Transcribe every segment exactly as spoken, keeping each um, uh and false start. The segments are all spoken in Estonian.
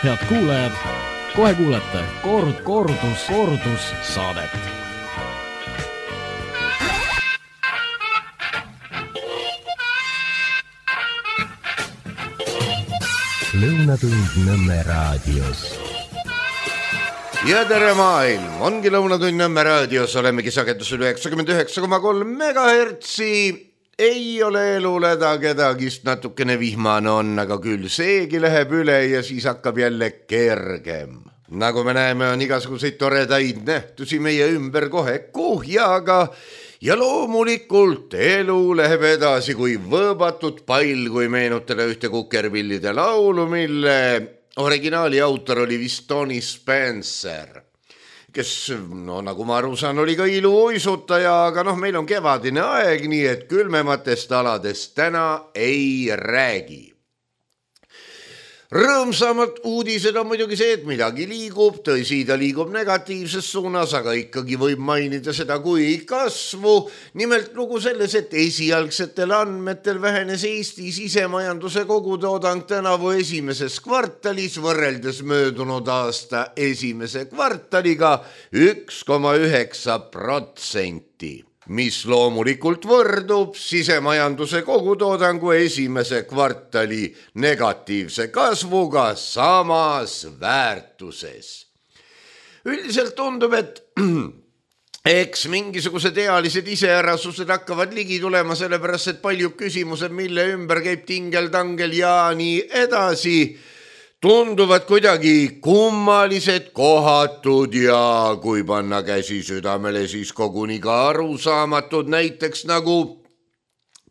Head kuulajad, kohe kuulete kord, kordus, kordus saadet. Lõunatund Nõmme raadios. Ja tere maailm, ongi Lõunatund Nõmme raadios, olemegi sagedusel üheksakümmend üheksa koma kolm megahertsi. Ei ole eluleda kedagist, natukene vihmane on, aga küll seegi läheb üle ja siis hakkab jälle kergem. Nagu me näeme, on igasuguseid toredaid nähtusi meie ümber kohe kuhjaga ja loomulikult elu läheb edasi kui võõbatud pall, kui meenutada ühte Kukerpillide laulu, mille originaali autor oli vist Tony Spencer, kes, no nagu ma aru saan, oli ka iluuisutaja, aga noh, meil on kevadine aeg, nii et külmematest aladest täna ei räägi. Rõõmsamalt uudised on muidugi see, et midagi liigub, tõsi, ta liigub negatiivses suunas, aga ikkagi võib mainida seda kui kasvu. Nimelt lugu selles, et esialgsetel andmetel vähenes Eesti sisemajanduse kogutoodang tänavu esimeses kvartalis võrreldes möödunud aasta esimese kvartaliga üks koma üheksa protsenti. Mis loomulikult võrdub sisemajanduse kogutoodangu esimese kvartali negatiivse kasvuga samas väärtuses. Üldiselt tundub, et eks mingisugused ealised iseärasused hakkavad ligi tulema, sellepärast, et paljud küsimused, mille ümber käib tingel-tangel ja nii edasi, tunduvad kuidagi kummalised, kohatud ja kui panna käsi südamele, siis koguni ka arusaamatud, näiteks nagu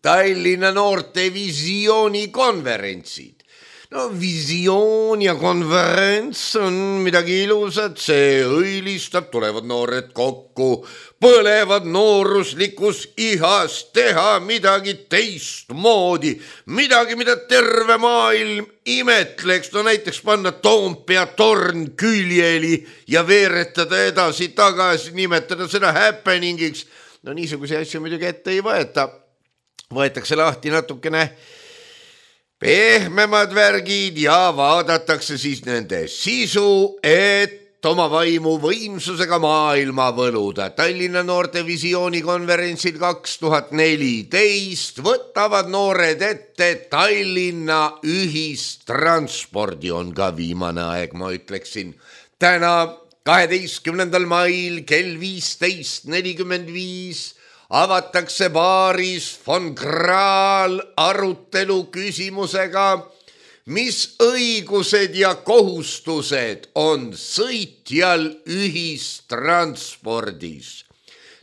Tallinna noorte visioonikonverentsid. No visioon ja konverents on midagi ilusat, see õilistab, tulevad noored kokku, põlevad nooruslikus ihas teha midagi teistmoodi, midagi, mida terve maailm imetleks, no näiteks panna Toompea torn küljeli ja veeretada edasi tagasi, nimetada seda happeningiks. No niisuguse asju muidugi ette ei võeta, võetakse lahti natukene pehmemad värgid ja vaadatakse siis nende sisu, et oma vaimu võimsusega maailma võluda. Tallinna noorte visioonikonverentsil kaks tuhat neliteist võtavad noored ette Tallinna ühistranspordi, on ka viimane aeg, ma ütleksin. Täna kaheteistkümnendal mail kell viisteist nelikümmend viis avatakse baaris von Kraal arutelu küsimusega, mis õigused ja kohustused on sõitjal ühistranspordis.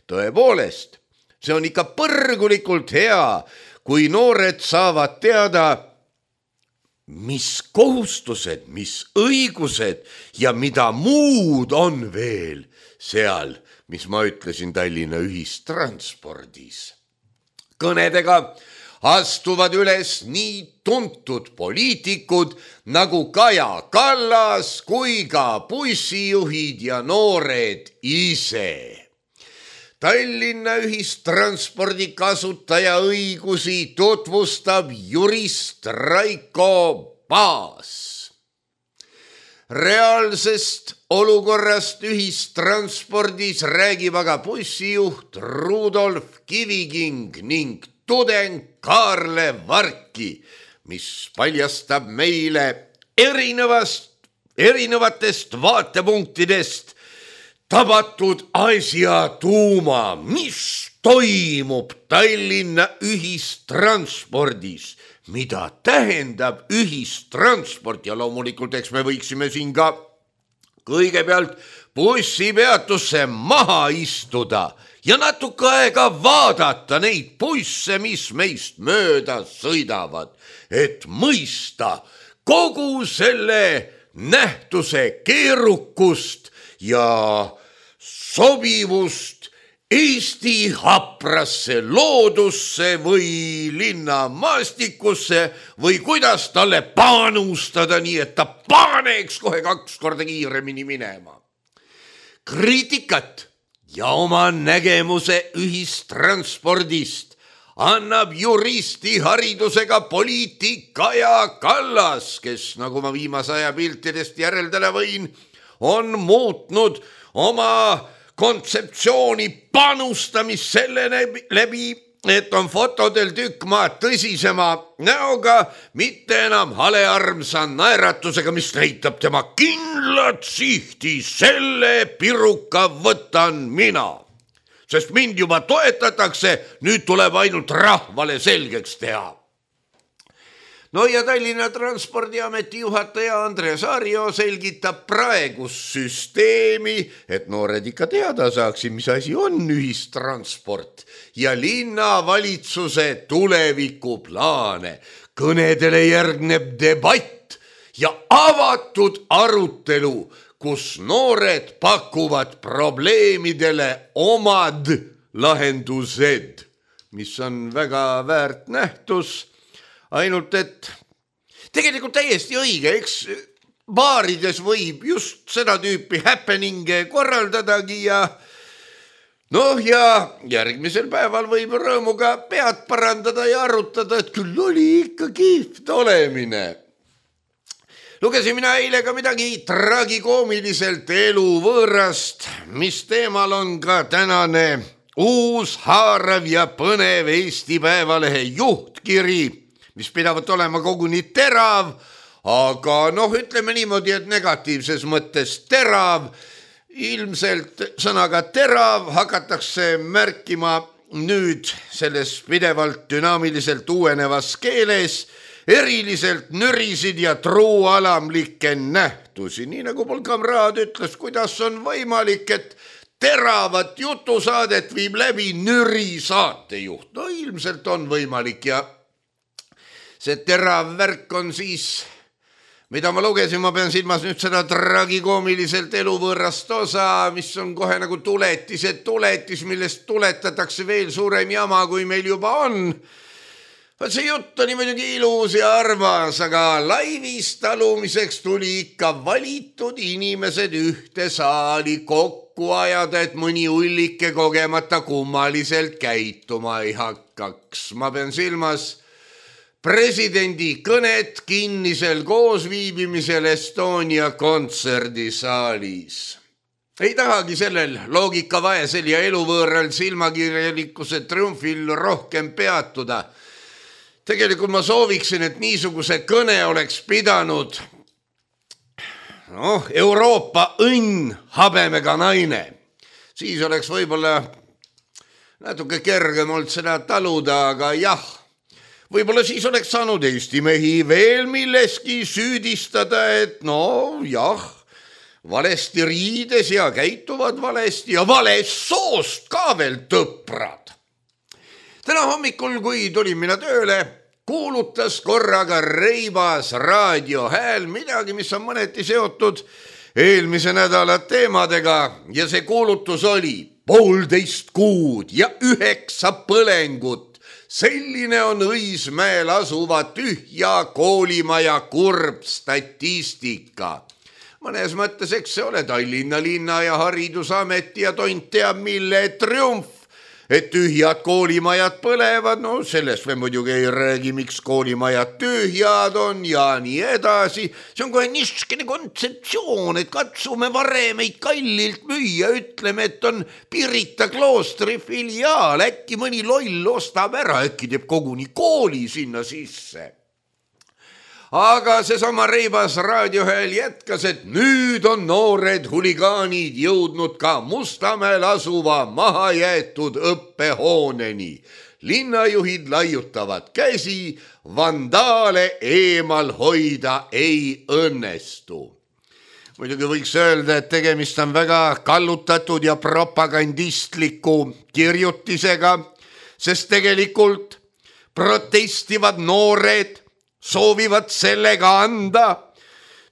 Tõepoolest, see on ikka põrgulikult hea, kui noored saavad teada, mis kohustused, mis õigused ja mida muud on veel seal, mis ma ütlesin Tallinna ühistranspordis. Kõnedega astuvad üles nii tuntud poliitikud nagu Kaja Kallas kui ka bussijuhid ja noored ise. Tallinna ühistranspordi kasutaja õigusi tutvustab jurist Raiko Paas. Reaalsest olukorrast ühistranspordis räägib aga bussijuht Rudolf Kiviking ning tudeng Kaarle Varki, mis paljastab meile erinevast, erinevatest vaatepunktidest tabatud asja tuuma, mis toimub Tallinna ühistranspordis, mida tähendab ühistransport ja loomulikult eks me võiksime siin ka kõigepealt bussipeatusse maha istuda ja natuke aega vaadata neid busse, mis meist mööda sõidavad, et mõista kogu selle nähtuse keerukust ja sobivust Eesti haprasse loodusse või linnamaastikusse või kuidas talle panustada nii, et ta paneks kohe kaks korda kiiremini minema. Kriitikat ja oma nägemuse ühistranspordist annab juristi haridusega poliitik Kaja Kallas, kes, nagu ma viimase aja piltidest järeldada võin, on muutnud oma kontseptsiooni panustamist selle läbi, et on fotodel tükk maad tõsisema näoga, mitte enam halearmsa naeratusega, mis näitab tema kindlat sihti, selle piruka võtan mina. Sest mind juba toetatakse, nüüd tuleb ainult rahvale selgeks teha. No ja Tallinna Transpordiameti juhataja Andres Arjo selgitab praegust süsteemi, et noored ikka teada saaksid, mis asi on ühistransport ja linnavalitsuse tulevikuplaane. Kõnedele järgneb debatt ja avatud arutelu, kus noored pakuvad probleemidele omad lahendused, mis on väga väärt nähtus. Ainult, et tegelikult täiesti õige, eks baarides võib just seda tüüpi happeninge korraldadagi ja noh, ja järgmisel päeval võib rõõmuga pead parandada ja arutada, et küll oli ikka kihvt olemine. Lugesin mina eile ka midagi tragikoomiliselt eluvõõrast, mis teemal on ka tänane uus haarav ja põnev Eesti Päevalehe juhtkiri, mis pidavat olema koguni terav, aga noh, ütleme niimoodi, et negatiivses mõttes terav. Ilmselt sõnaga terav hakatakse märkima nüüd selles pidevalt dünaamiliselt uuenevas keeles eriliselt nürisid ja truualamlikke nähtusi. Nii nagu mul kamraad ütles, kuidas on võimalik, et teravat jutusaadet viib läbi nüri saatejuht. No ilmselt on võimalik ja see terav värk on siis, mida ma lugesin, ma pean silmas nüüd seda tragikoomiliselt eluvõõrast osa, mis on kohe nagu tuletised tuletis, millest tuletatakse veel suurem jama, kui meil juba on. See jutt on muidugi ilus ja armas, aga laivis talumiseks tuli ikka valitud inimesed ühte saali kokku ajada, et mõni ullike kogemata kummaliselt käituma ei hakkaks. Ma pean silmas presidendi kõnet kinnisel koosviibimisel Estonia kontserdisaalis. Ei tahagi sellel loogikavaesel ja eluvõõral silmakirjalikkuse triumfil rohkem peatuda. Tegelikult ma sooviksin, et niisuguse kõne oleks pidanud noh, Euroopa õnn habemega naine. Siis oleks võib-olla natuke kergem olnud seda taluda, aga jah, võib-olla siis oleks saanud Eesti mehi veel milleski süüdistada, et no jah, valesti riides ja käituvad valesti ja valest soost ka veel tõprad. Täna hommikul, kui tulin mina tööle, kuulutas korraga reibas raadiohääl midagi, mis on mõneti seotud eelmise nädala teemadega ja see kuulutus oli poolteist kuud ja üheksa põlengut. Selline on Õismäel asuva tühja koolimaja kurb statistika. Mõnes mõttes, eks see ole Tallinna linna ja Haridusameti ja tont teab mille triumf, et tühjad koolimajad põlevad, no sellest me muidugi ei räägi, miks koolimajad tühjad on ja nii edasi. See on kohe niisugune kontseptsioon, et katsume varemeid kallilt müüa, ütleme, et on Pirita kloostri filiaal, äkki mõni loll ostab ära, äkki teeb koguni kooli sinna sisse. Aga seesama reibas raadiohääl jätkas, et nüüd on noored huligaanid jõudnud ka Mustamäel asuva mahajäetud õppehooneni. Linnajuhid laiutavad käsi, vandaale eemal hoida ei õnnestu. Muidugi võiks öelda, et tegemist on väga kallutatud ja propagandistliku kirjutisega, sest tegelikult protestivad noored soovivad sellega anda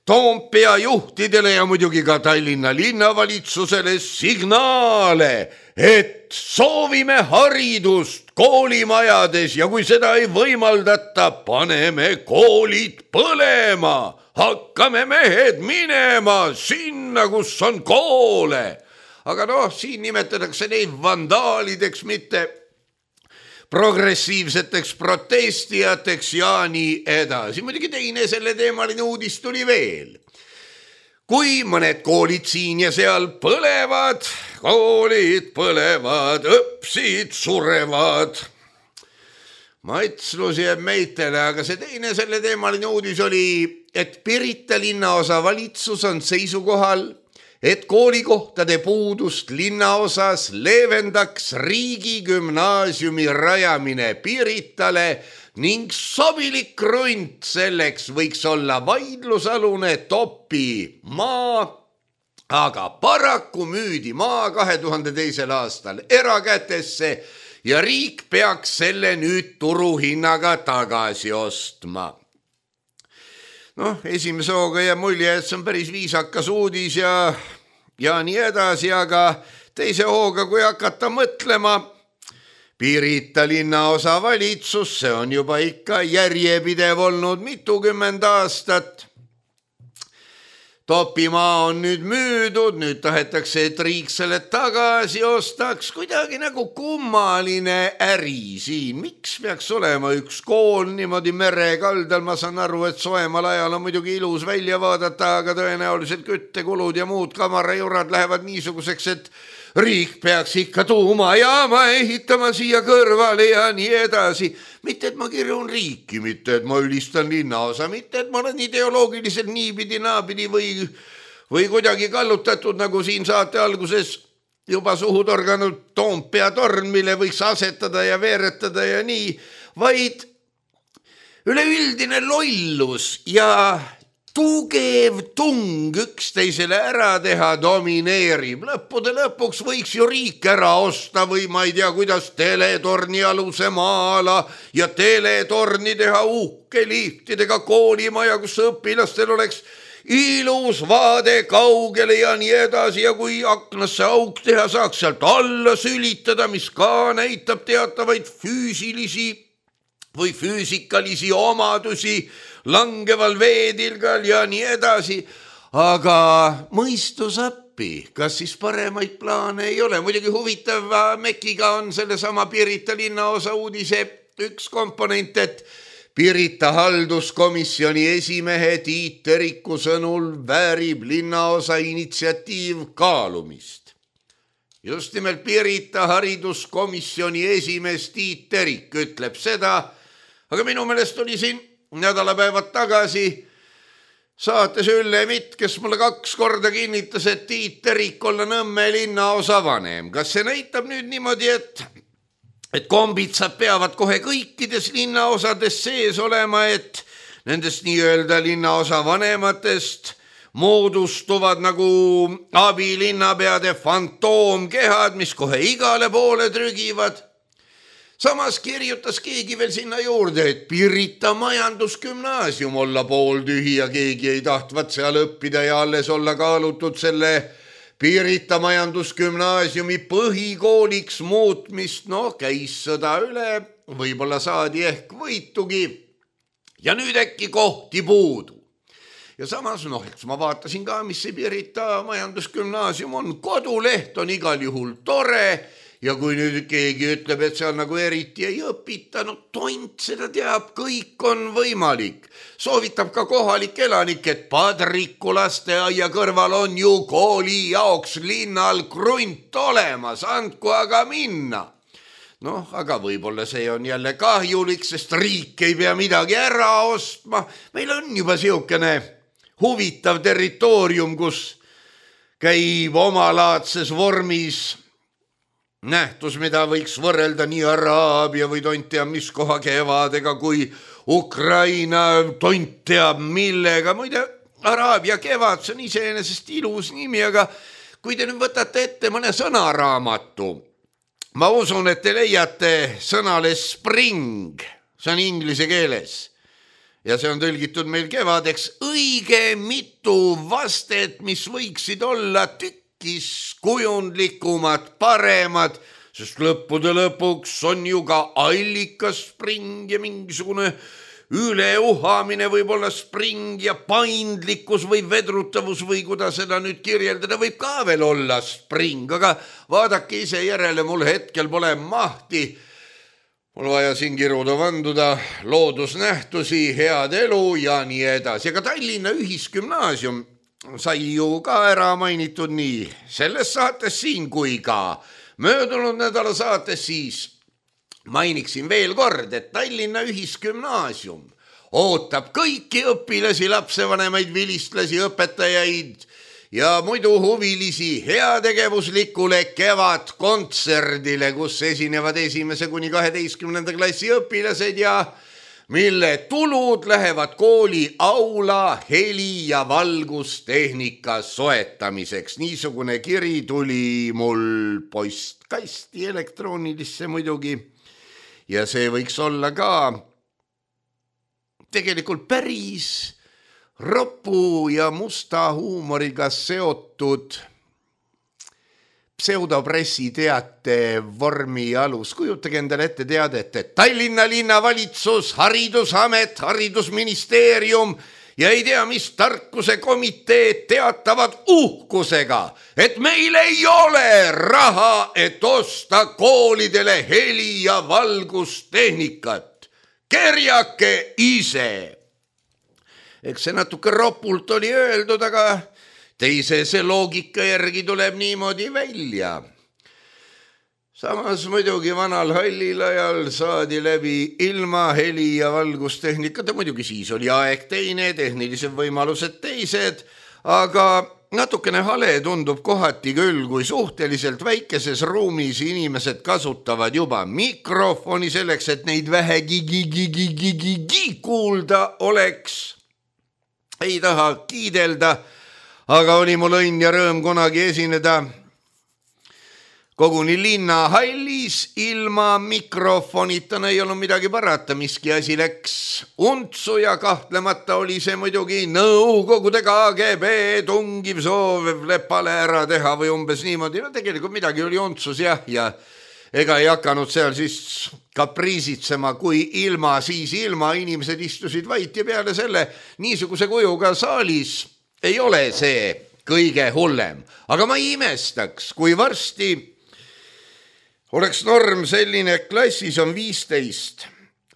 Toompea juhtidele ja muidugi ka Tallinna linnavalitsusele signaale, et soovime haridust koolimajades ja kui seda ei võimaldata, paneme koolid põlema, hakkame mehed minema sinna, kus on koole. Aga noh, siin nimetatakse neid vandaalideks, mitte progressiivseteks protestijateks ja nii edasi. Muidugi teine selle teemaline uudis tuli veel. Kui mõned koolid siin ja seal põlevad, koolid põlevad, õpsid surevad. Matslus jääb meitele, aga see teine selle teemaline uudis oli, et Pirita linnaosa valitsus on seisukohal, et koolikohtade puudust linnaosas leevendaks riigigümnaasiumi rajamine Piritale ning sobilik krunt selleks võiks olla vaidlusalune Topi maa, aga paraku müüdi maa kahe tuhande teisel aastal erakätesse ja riik peaks selle nüüd turuhinnaga tagasi ostma. Noh, esimese hooga jääb mulje, et see on päris viisakas uudis ja, ja nii edasi, aga teise hooga, kui hakata mõtlema, Pirita linnaosa valitsus, see on juba ikka järjepidev olnud mitukümmend aastat. Topimaa on nüüd müüdud, nüüd tahetakse, et riik selle tagasi ostaks, kuidagi nagu kummaline äri siin. Miks peaks olema üks kool niimoodi merekaldal? Ma saan aru, et soemal ajal on muidugi ilus välja vaadata, aga tõenäoliselt küttekulud ja muud kamarajurad lähevad niisuguseks, et riik peaks ikka tuumajaama ehitama siia kõrvale ja nii edasi. Mitte, et ma kirjun riiki, mitte, et ma ülistan linnaosa, mitte, et ma olen ideoloogiliselt niipidi naapidi või, või kuidagi kallutatud, nagu siin saate alguses juba suhu torganud Toompea torn, mille võiks asetada ja veeretada ja nii, vaid üleüldine lollus ja tugev tung üksteisele ära teha domineerib. Lõppude lõpuks võiks ju riik ära osta või ma ei tea, kuidas teletorni aluse maala ja teletorni teha uhke liftidega koolimaja, kus õpilastel oleks ilus vaade kaugele ja nii edasi ja kui aknasse auk teha, saaks sealt alla sülitada, mis ka näitab teatavaid füüsilisi või füüsikalisi omadusi langeval veedilgal ja nii edasi, aga mõistus appi, kas siis paremaid plaane ei ole? Muidugi huvitav Mekiga on selle sama Pirita linnaosa uudise üks komponent, et Pirita halduskomisjoni esimehe Tiit Teriku sõnul väärib linnaosa initsiatiiv kaalumist. Just nimelt Pirita hariduskomisjoni esimees Tiit Terik ütleb seda, aga minu meelest oli siin nädalapäevad tagasi saates Ülle Mitt, kes mulle kaks korda kinnitas, et Tiit Terik olla Nõmme linnaosa vanem. Kas see näitab nüüd niimoodi, et, et kombitsad peavad kohe kõikides linnaosades sees olema, et nendest nii-öelda linnaosa vanematest moodustuvad nagu abilinnapeade fantoomkehad, mis kohe igale poole trügivad? Samas kirjutas keegi veel sinna juurde, et Pirita majandusgümnaasium olla pooltühi ja keegi ei tahtvat seal õppida ja alles olla kaalutud selle Pirita majandusgümnaasiumi põhikooliks muutmist. No käis sõda üle, võib-olla saadi ehk võitugi ja nüüd äkki kohti puudu. Ja samas, noh, eks ma vaatasin ka, mis see Pirita majandusgümnaasium on. Koduleht on igal juhul tore. Ja kui nüüd keegi ütleb, et seal nagu eriti ei õpita, no tont seda teab, kõik on võimalik. Soovitab ka kohalik elanik, et Padriku lasteaia kõrval on ju kooli jaoks linnal krunt olemas, andku aga minna. Noh, aga võib-olla see on jälle kahjulik, sest riik ei pea midagi ära ostma. Meil on juba siukene huvitav territoorium, kus käib omalaadses vormis nähtus, mida võiks võrrelda nii Araabia või tont teab mis koha kevadega kui Ukraina tont teab millega. Muide, Araabia kevad, see on iseenesest ilus nimi, aga kui te nüüd võtate ette mõne sõnaraamatu, ma usun, et te leiate sõnale spring, see on inglise keeles ja see on tõlgitud meil kevadeks, õige mitu vastet, mis võiksid olla tükk kujundlikumad, paremad, sest lõppude lõpuks on ju ka allikas spring ja mingisugune üleuhamine võib olla spring ja paindlikkus või vedrutavus või kuidas seda nüüd kirjeldada võib ka veel olla spring, aga vaadake ise järele, mul hetkel pole mahti mul vaja siin kiruda vanduda loodusnähtusi, head elu ja nii edasi. Aga Tallinna Ühisgümnaasium sai ju ka ära mainitud nii selles saates siin kui ka möödunud nädala saates, siis mainiksin veel kord, et Tallinna Ühisgümnaasium ootab kõiki õpilasi, lapsevanemaid, vilistlasi, õpetajaid ja muidu huvilisi heategevuslikule kevadkontserdile, kus esinevad esimese kuni kaheteistkümnenda klassi õpilased ja mille tulud lähevad kooli aula heli- ja valgustehnika soetamiseks. Niisugune kiri tuli mul postkasti elektroonilisse muidugi ja see võiks olla ka tegelikult päris ropu ja musta huumoriga seotud pseudopressi teate vormi alus. Kujutage endale ette teadet, et Tallinna linnavalitsus, haridusamet, haridusministeerium ja ei tea, mis tarkuse komiteed teatavad uhkusega, et meil ei ole raha, et osta koolidele heli- ja valgustehnikat. Kerjake ise. Eks see natuke ropult oli öeldud, aga teise see loogika järgi tuleb niimoodi välja. Samas muidugi vanal hallil ajal saadi läbi ilma heli- ja valgustehnikata, muidugi siis oli aeg teine, tehnilised võimalused teised, aga natukene hale tundub kohati küll, kui suhteliselt väikeses ruumis inimesed kasutavad juba mikrofoni selleks, et neid vähegi gi-gi-gi-gi-gi kuulda oleks. Ei taha kiidelda, aga oli mul õnn ja rõõm kunagi esineda koguni linnahallis ilma mikrofonita. No ei olnud midagi parata, miski asi läks untsu ja kahtlemata oli see muidugi Nõukogude K G B tungiv soov lepale ära teha või umbes niimoodi. No tegelikult midagi oli untsus jah, ja ega ei hakanud seal siis kapriisitsema, kui ilma, siis ilma, inimesed istusid vait ja peale selle niisuguse kujuga saalis ei ole see kõige hullem. Aga ma ei imestaks, kui varsti oleks norm selline, klassis on viisteist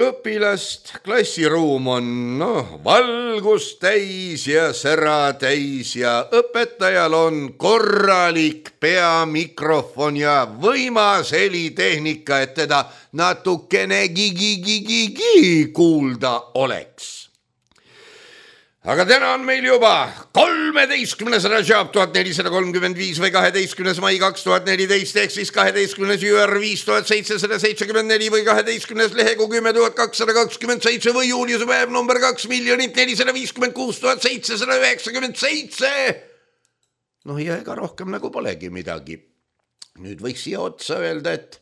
õpilast, klassiruum on no, valgus täis ja sära täis ja õpetajal on korralik peamikrofon ja võimas helitehnika, et teda natukene gi-gi-gi-gi-gi kuulda oleks. Aga täna on meil juba kolmeteistkümnes Rajab tuhat nelisada kolmkümmend viis või kaheteistkümnes mai kaks tuhat neliteist ehk siis kaheteistkümnes juur viis tuhat seitsesada seitsekümmend neli või kaheteistkümnes lehekuu kümme tuhat kakssada kakskümmend seitse või juuliuse päev number kaks miljonit nelisada viiskümmend kuus tuhat seitsesada üheksakümmend seitse. noh ja ega rohkem nagu polegi midagi. Nüüd võiks siia otsa öelda, et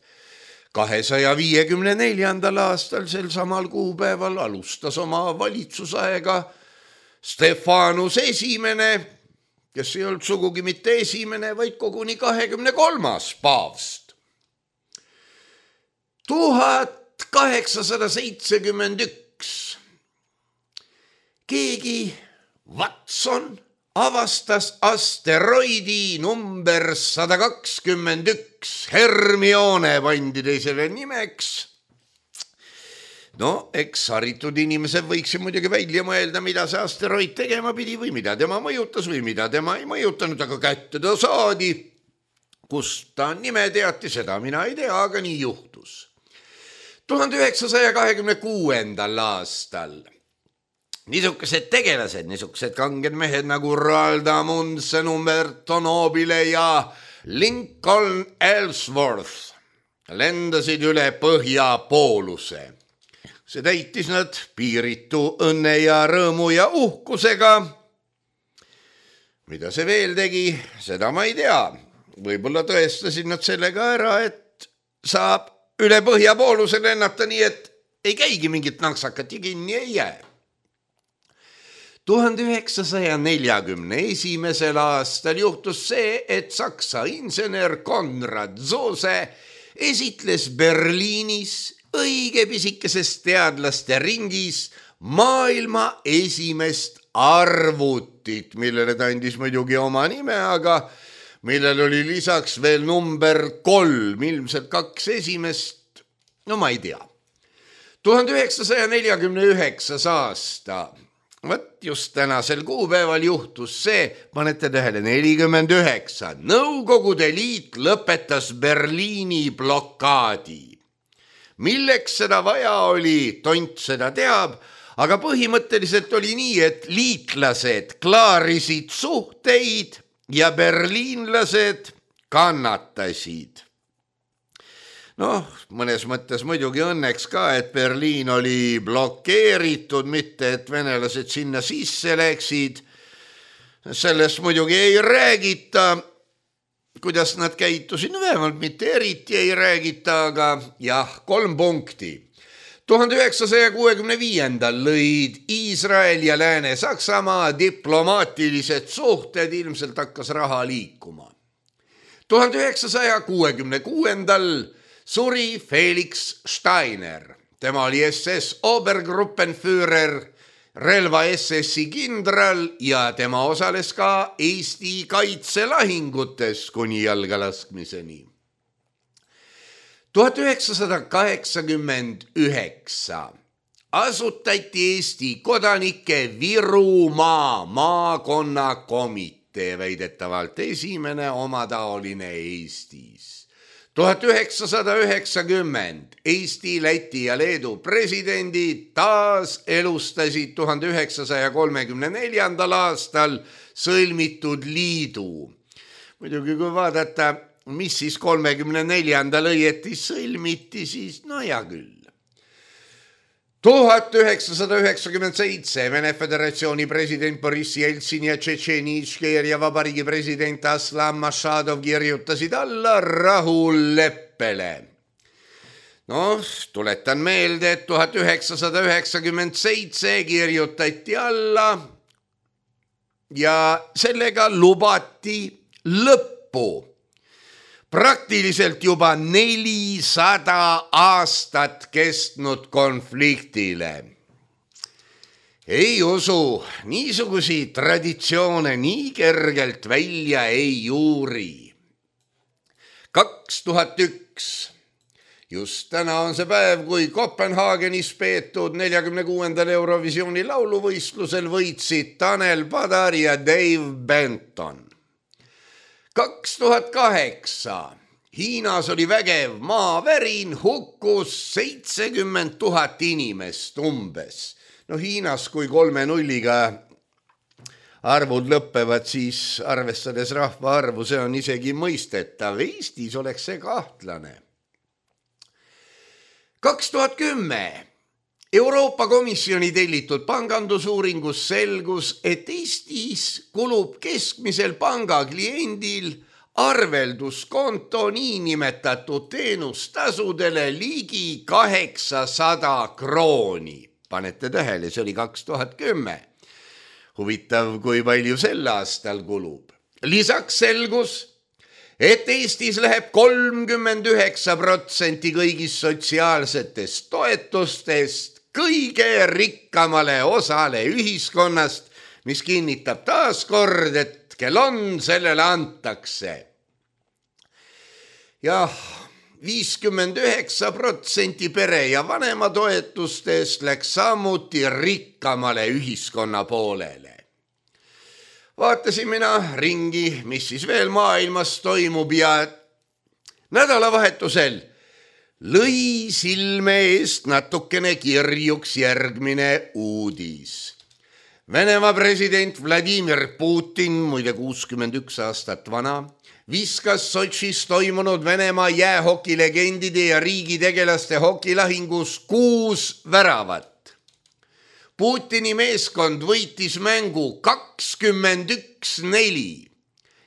kahesaja viiekümne neljandal aastal sel samal kuupäeval alustas oma valitsusaega Stefanus esimene, kes ei olnud sugugi mitte esimene, vaid koguni kahekümne kolmas paavst. tuhat kaheksasada seitsekümmend üks. Keegi Watson avastas asteroidi number sada kakskümmend üks. Hermione pandi teisele nimeks. No, eks haritud inimesed võiks muidugi välja mõelda, mida see asteroid tegema pidi või mida tema mõjutas või mida tema ei mõjutanud, aga kätte ta saadi. Kust ta nime teati, seda mina ei tea, aga nii juhtus. tuhande üheksasaja kahekümne kuuendal aastal niisugused tegelased, niisugused kanged mehed nagu Roald Amundsen, Umberto Nobile ja Lincoln Ellsworth lendasid üle Põhjapooluse. See täitis nad piiritu õnne ja rõõmu ja uhkusega. Mida see veel tegi, seda ma ei tea. Võib-olla tõestasid nad sellega ära, et saab üle Põhjapooluse lennata nii, et ei käigi mingit naksakat ja kinni ei jää. tuhande üheksasaja neljakümne esimesel aastal juhtus see, et saksa insener Konrad Zuse esitles Berliinis õige pisikeses teadlaste ringis maailma esimest arvutit, millele ta andis muidugi oma nime, aga millel oli lisaks veel number kolm, ilmselt kaks esimest, no ma ei tea. tuhande üheksasaja neljakümne üheksas aasta. Võt just tänasel kuupäeval juhtus see, panete tähele, nelikümmend üheksa. Nõukogude Liit lõpetas Berliini blokaadi. Milleks seda vaja oli, tont seda teab, aga põhimõtteliselt oli nii, et liitlased klaarisid suhteid ja berliinlased kannatasid. Noh, mõnes mõttes muidugi õnneks ka, et Berliin oli blokeeritud, mitte et venelased sinna sisse läksid. Sellest muidugi ei räägita, kuidas nad käitusid, no vähemalt mitte eriti ei räägita, aga jah, kolm punkti. tuhande üheksasaja kuuekümne viiendal lõid Iisrael ja Lääne-Saksamaa diplomaatilised suhted, ilmselt hakkas raha liikuma. tuhande üheksasaja kuuekümne kuuendal suri Felix Steiner. Tema oli S S Obergruppenführer, relva S S-i kindral ja tema osales ka Eesti kaitselahingutes kuni jalgalaskmiseni. tuhat üheksasada kaheksakümmend üheksa asutati Eesti kodanike Virumaa maakonnakomitee, väidetavalt esimene omataoline Eestis. tuhat üheksasada üheksakümmend Eesti, Läti ja Leedu presidendid taas elustasid tuhande üheksasaja kolmekümne neljandal aastal sõlmitud liidu. Muidugi kui vaadata, mis siis kolmekümne neljandal õieti sõlmiti, siis no hea küll. tuhat üheksasada üheksakümmend seitse Vene Föderatsiooni president Boris Jeltsin ja Tšetšeeni Ičkeeria vabariigi president Aslan Mašadov kirjutasid alla rahuleppele. No, tuletan meelde, et tuhat üheksasada üheksakümmend seitse kirjutati alla ja sellega lubati lõppu. Praktiliselt juba nelisada aastat kestnud konfliktile. Ei usu, niisugusi traditsioone nii kergelt välja ei juuri. kaks tuhat üks. Just täna on see päev, kui Kopenhaagenis peetud neljakümne kuuendal Eurovisiooni lauluvõistlusel võitsid Tanel Padar ja Dave Benton. kaks tuhat kaheksa. Hiinas oli vägev maavärin, hukkus seitsekümmend tuhat inimest umbes. No Hiinas, kui kolme nulliga arvud lõppevad, siis arvestades rahva arvu, see on isegi mõistetav. Eestis oleks see kahtlane. kaks tuhat kümme. Euroopa Komisjoni tellitud pangandusuuringus selgus, et Eestis kulub keskmisel pangakliendil arvelduskonto niinimetatud teenustasudele ligi kaheksasada krooni. Panete tähele, see oli kaks tuhat kümme. Huvitav, kui palju sel aastal kulub. Lisaks selgus, et Eestis läheb kolmkümmend üheksa protsenti kõigist sotsiaalsetest toetustest kõige rikkamale osale ühiskonnast, mis kinnitab taaskord, et kel on, sellele antakse. Jah, viiskümmend üheksa protsenti pere ja vanema toetustest läks samuti rikkamale ühiskonna poolele. Vaatasin mina ringi, mis siis veel maailmas toimub ja nädalavahetusel lõi silme eest natukene kirjuks järgmine uudis. Venemaa president Vladimir Putin, muide kuuskümmend üks aastat vana, viskas Sotšis toimunud Venemaa jäähokilegendide ja riigitegelaste hokilahingus kuus väravat. Putini meeskond võitis mängu kakskümmend üks neli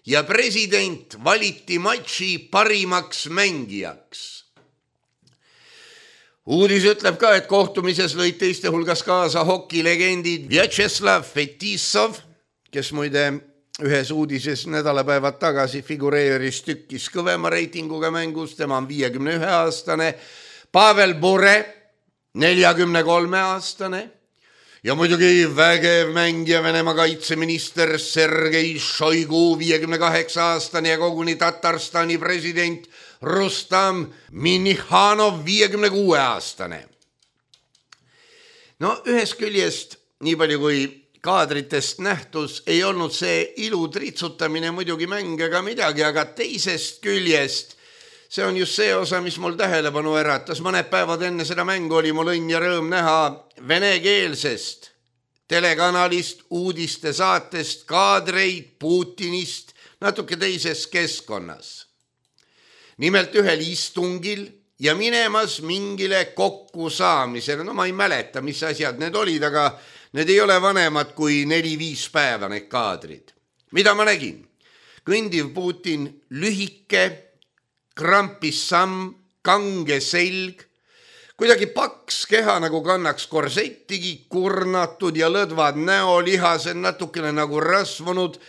ja president valiti matši parimaks mängijaks. Uudis ütleb ka, et kohtumises lõid teiste hulgas kaasa hokilegendid Vjatšeslav Fetisov, kes muide ühes uudises nädalapäevad tagasi figureeris tükkis kõvema reitinguga mängus, tema on viiekümne ühe aastane, Pavel Bure, neljakümne kolme aastane ja muidugi vägev mängija Venemaa kaitseminister Sergei Šoigu, viiekümne kaheksa aastane ja koguni Tatarstani president Rustam Minihhanov, viiekümne kuue aastane. no ühest küljest, nii palju kui kaadritest nähtus, ei olnud see ilu tritsutamine muidugi mäng ega midagi, aga teisest küljest see on just see osa, mis mul tähelepanu äratas. Mõned päevad enne seda mängu oli mul õnn ja rõõm näha venekeelsest telekanalist, uudiste saatest kaadreid Putinist natuke teises keskkonnas. Nimelt ühel istungil ja minemas mingile kokkusaamisele. No ma ei mäleta, mis asjad need olid, aga need ei ole vanemad kui neli-viis päeva need kaadrid. Mida ma nägin? Kõndiv Putin, lühike, krampis samm, kange selg, kuidagi paks keha nagu kannaks korsettigi, kurnatud ja lõdvad näolihased natukene nagu rasvunud.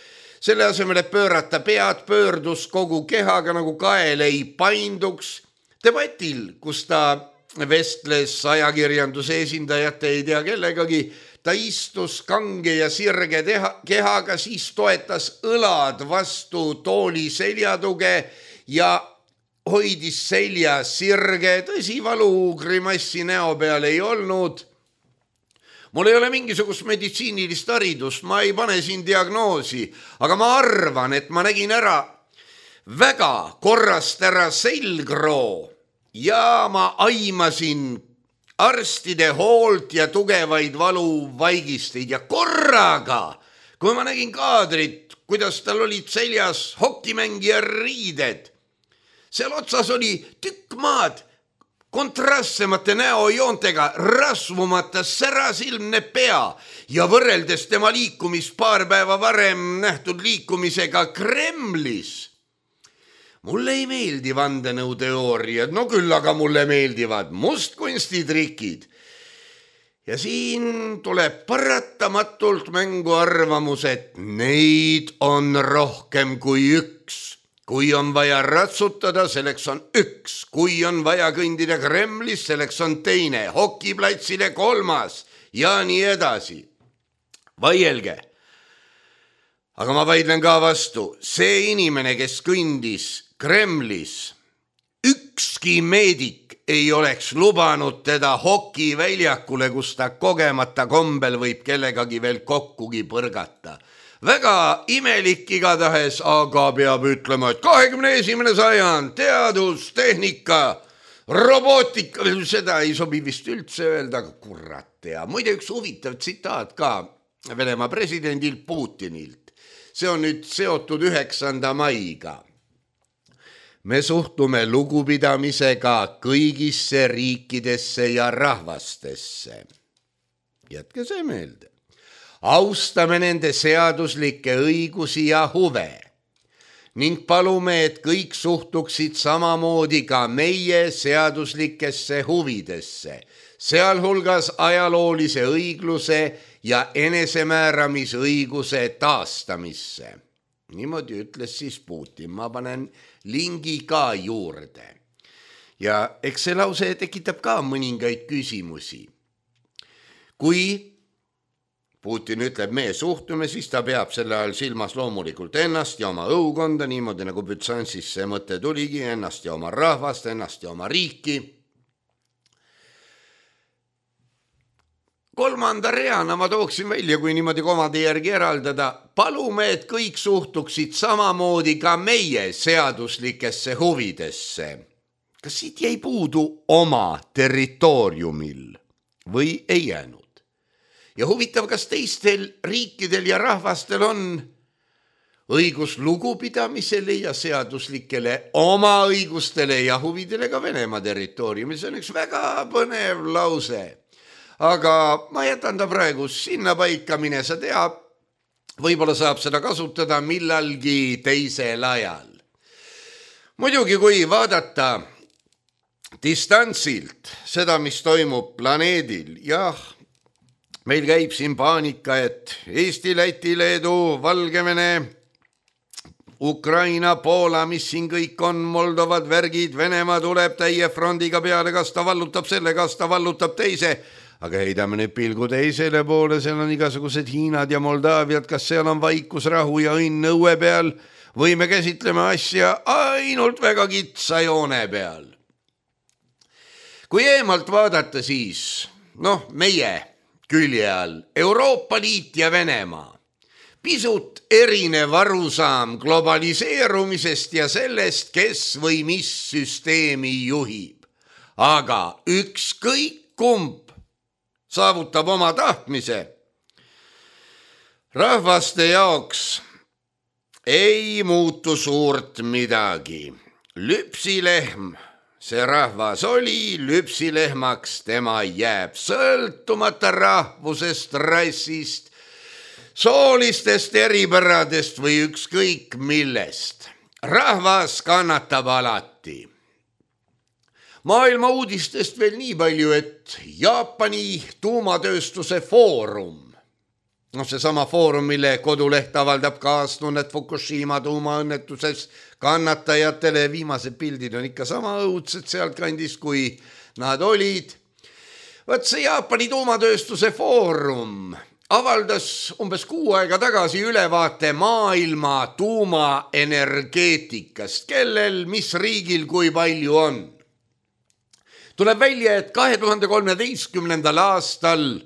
Selle asemel, et pöörata pead, pöördus kogu kehaga nagu kael ei painduks. Debatil, kus ta vestles ajakirjanduse esindajate ei tea kellegagi, ta istus kange ja sirge teha, kehaga, siis toetas õlad vastu tooli seljatuge ja hoidis selja sirge. Tõsi, valu grimassi näo peal ei olnud. Mul ei ole mingisugust meditsiinilist haridust, ma ei pane siin diagnoosi, aga ma arvan, et ma nägin ära väga korrast ära selgroo ja ma aimasin arstide hoolt ja tugevaid valuvaigisteid ja korraga, kui ma nägin kaadrit, kuidas tal olid seljas hokimängija riided, seal otsas oli tükk maad kontrastsemate näojoontega, rasvumata särasilmne pea ja võrreldes tema liikumist paar päeva varem nähtud liikumisega Kremlis. Mulle ei meeldi vandenõuteooriad, no küll aga mulle meeldivad mustkunstitrikid. Ja siin tuleb paratamatult mängu arvamus, et neid on rohkem kui üks. Kui on vaja ratsutada, selleks on üks. Kui on vaja kõndida Kremlis, selleks on teine. Hokiplatsile kolmas ja nii edasi. Vaielge. Aga ma vaidlen ka vastu. See inimene, kes kõndis Kremlis, ükski meedik ei oleks lubanud teda hokiväljakule, kus ta kogemata kombel võib kellegagi veel kokkugi põrgata. Väga imelik igatahes, aga peab ütlema, et kahekümne esimene sajand, teadus, tehnika, robootika, seda ei sobi vist üldse öelda, aga kurat ja muide üks huvitav tsitaat ka Venemaa presidendilt Putinilt. See on nüüd seotud üheksanda maiga. Me suhtume lugupidamisega kõigisse riikidesse ja rahvastesse. Jätke see meelde. Austame nende seaduslikke õigusi ja huve ning palume, et kõik suhtuksid samamoodi ka meie seaduslikesse huvidesse, sealhulgas ajaloolise õigluse ja enesemääramisõiguse taastamisse. Niimoodi ütles siis Putin, ma panen lingi ka juurde. Ja eks see lause tekitab ka mõningaid küsimusi. Kui Putin ütleb, me suhtume, siis ta peab selle ajal silmas loomulikult ennast ja oma õukonda, niimoodi nagu Bütsansis see mõte tuligi, ennast ja oma rahvast, ennast ja oma riiki. Kolmanda reana ma tooksin välja, kui niimoodi komade järgi eraldada, palume, et kõik suhtuksid samamoodi ka meie seaduslikesse huvidesse. Kas siit jäi puudu oma territooriumil või ei jäänud? Ja huvitav, kas teistel riikidel ja rahvastel on õigus lugupidamisele ja seaduslikele oma õigustele ja huvidele ka Venemaa territooriumil. See on üks väga põnev lause. Aga ma jätan ta praegu sinna paika, mine sa tea, võib-olla saab seda kasutada millalgi teisel ajal. Muidugi, kui vaadata distantsilt seda, mis toimub planeedil, jah, meil käib siin paanika, et Eesti, Läti, Leedu, Valgevene, Ukraina, Poola, mis siin kõik on, Moldovad, värgid, Venemaa tuleb täie frondiga peale, kas ta vallutab selle, kas ta vallutab teise. Aga heidame nüüd pilgu teisele poole, seal on igasugused Hiinad ja Moldaaviad, kas seal on vaikus, rahu ja õnn õue peal või me käsitleme asja ainult väga kitsa joone peal. Kui eemalt vaadata, siis noh, meie külje all Euroopa Liit ja Venemaa. Pisut erinev arusaam globaliseerumisest ja sellest, kes või mis süsteemi juhib. Aga ükskõik kumb saavutab oma tahtmise. Rahvaste jaoks ei muutu suurt midagi. Lüpsilehm, see rahvas oli, lüpsilehmaks tema jääb, sõltumata rahvusest, rassist, soolistest eripäradest või ükskõik millest. Rahvas kannatab alati. Maailma uudistest veel nii palju, et Jaapani tuumatööstuse foorum, no see sama foorum, mille koduleht avaldab kaastunnet Fukushima tuumaõnnetuses kannatajatele, viimased pildid on ikka sama õudsed sealt kandis, kui nad olid. Võt see Jaapani tuumatööstuse foorum avaldas umbes kuu aega tagasi ülevaate maailma tuumaenergeetikast, kellel, mis riigil, kui palju on. Tuleb välja, et kahe tuhande kolmeteistkümnendal aastal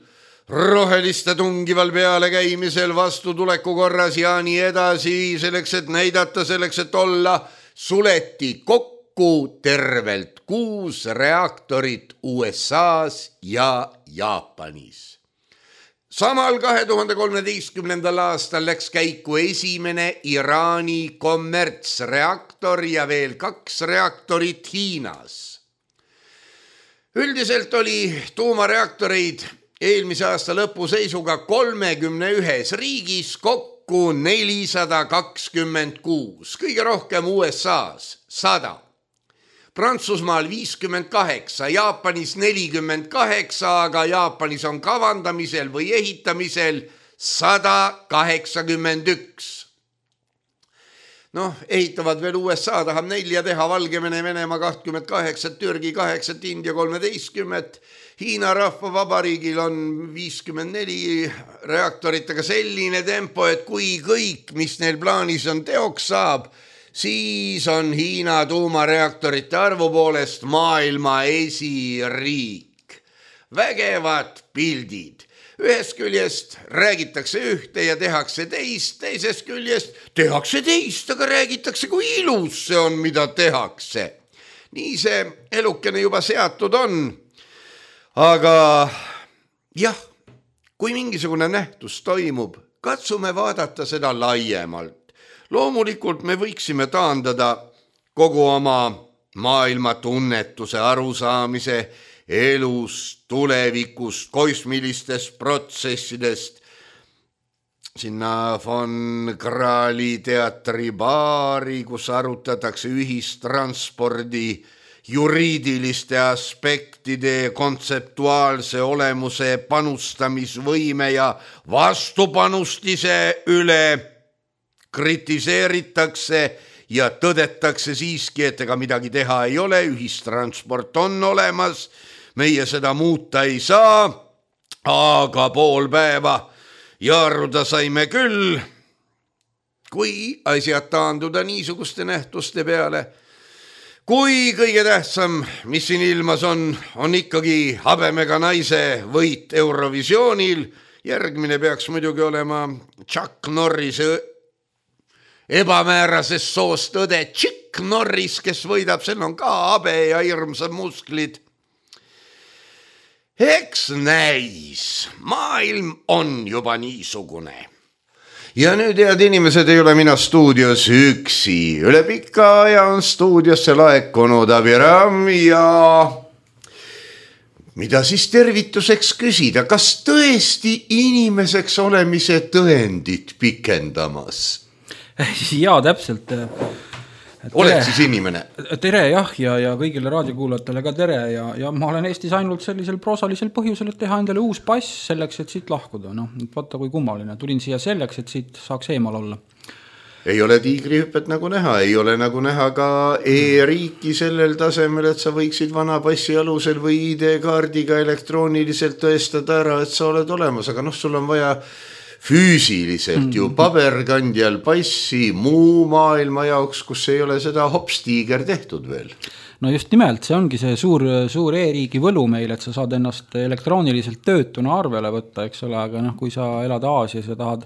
roheliste tungival peale käimisel vastutuleku korras ja nii edasi, selleks, et näidata, selleks, et olla, suleti kokku tervelt kuus reaktorit U S A-s ja Jaapanis. Samal kahe tuhande kolmeteistkümnendal aastal läks käiku esimene Iraani kommertsreaktor ja veel kaks reaktorit Hiinas. Üldiselt oli tuumareaktoreid eelmise aasta lõpu seisuga kolmekümne ühes riigis kokku nelisada kakskümmend kuus, kõige rohkem U S A-s sada, Prantsusmaal viiskümmend kaheksa, Jaapanis nelikümmend kaheksa, aga Jaapanis on kavandamisel või ehitamisel sada kaheksakümmend üks. Noh, ehitavad veel U S A, tahab nelja teha, Valgevene, Venemaa kakskümmend kaheksa, Türgi kaheksa, India kolmeteistkümmend, Hiina Rahvavabariigil on viiskümmend neli reaktorit, aga selline tempo, et kui kõik, mis neil plaanis on, teoks saab, siis on Hiina tuumareaktorite arvu poolest maailma esiriik. Vägevad pildid. Ühest küljest räägitakse ühte ja tehakse teist, teisest küljest tehakse teist, aga räägitakse, kui ilus see on, mida tehakse. Nii see elukene juba seatud on. Aga jah, kui mingisugune nähtus toimub, katsume vaadata seda laiemalt. Loomulikult me võiksime taandada kogu oma maailma tunnetuse, arusaamise, elust, tulevikust, kosmilistest protsessidest, sinna von Krahli teatri baari, kus arutatakse ühistranspordi juriidiliste aspektide, kontseptuaalse olemuse, panustamisvõime ja vastupanustise üle kritiseeritakse ja tõdetakse siiski, et ega midagi teha ei ole, ühistransport on olemas, meie seda muuta ei saa, aga pool päeva jaaruda saime küll, kui asjad taanduda niisuguste nähtuste peale. Kui kõige tähtsam, mis siin ilmas on, on ikkagi habemega naise võit Eurovisioonil, järgmine peaks muidugi olema Chuck Norrise ebamäärases soost õde Chuck Norris, kes võidab, sel on ka habe ja hirmsad musklid. Eks näis, maailm on juba niisugune. Ja nüüd, head inimesed, ei ole mina stuudios üksi. Üle pika aja on stuudiosse laekunud Abiram ja mida siis tervituseks küsida, kas tõesti inimeseks olemise tõendit pikendamas? Jaa, täpselt. Oled siis inimene? Tere, jah, ja, ja kõigile raadiokuulajatele ka tere ja, ja ma olen Eestis ainult sellisel proosalisel põhjusel, et teha endale uus pass selleks, et siit lahkuda. No, vaata kui kummaline. Tulin siia selleks, et siit saaks eemal olla. Ei ole tiigrihüppet nagu näha, ei ole nagu näha ka e-riiki sellel tasemel, et sa võiksid vana passi alusel või I D-kaardiga elektrooniliselt tõestada ära, et sa oled olemas, aga noh, sul on vaja füüsiliselt ju paberkandjal passi muu maailma jaoks, kus ei ole seda hopstiiger tehtud veel. no just nimelt, see ongi see suur, suur e-riigi võlu meil, et sa saad ennast elektrooniliselt töötuna arvele võtta, eks ole, aga noh, kui sa elad Aasias ja tahad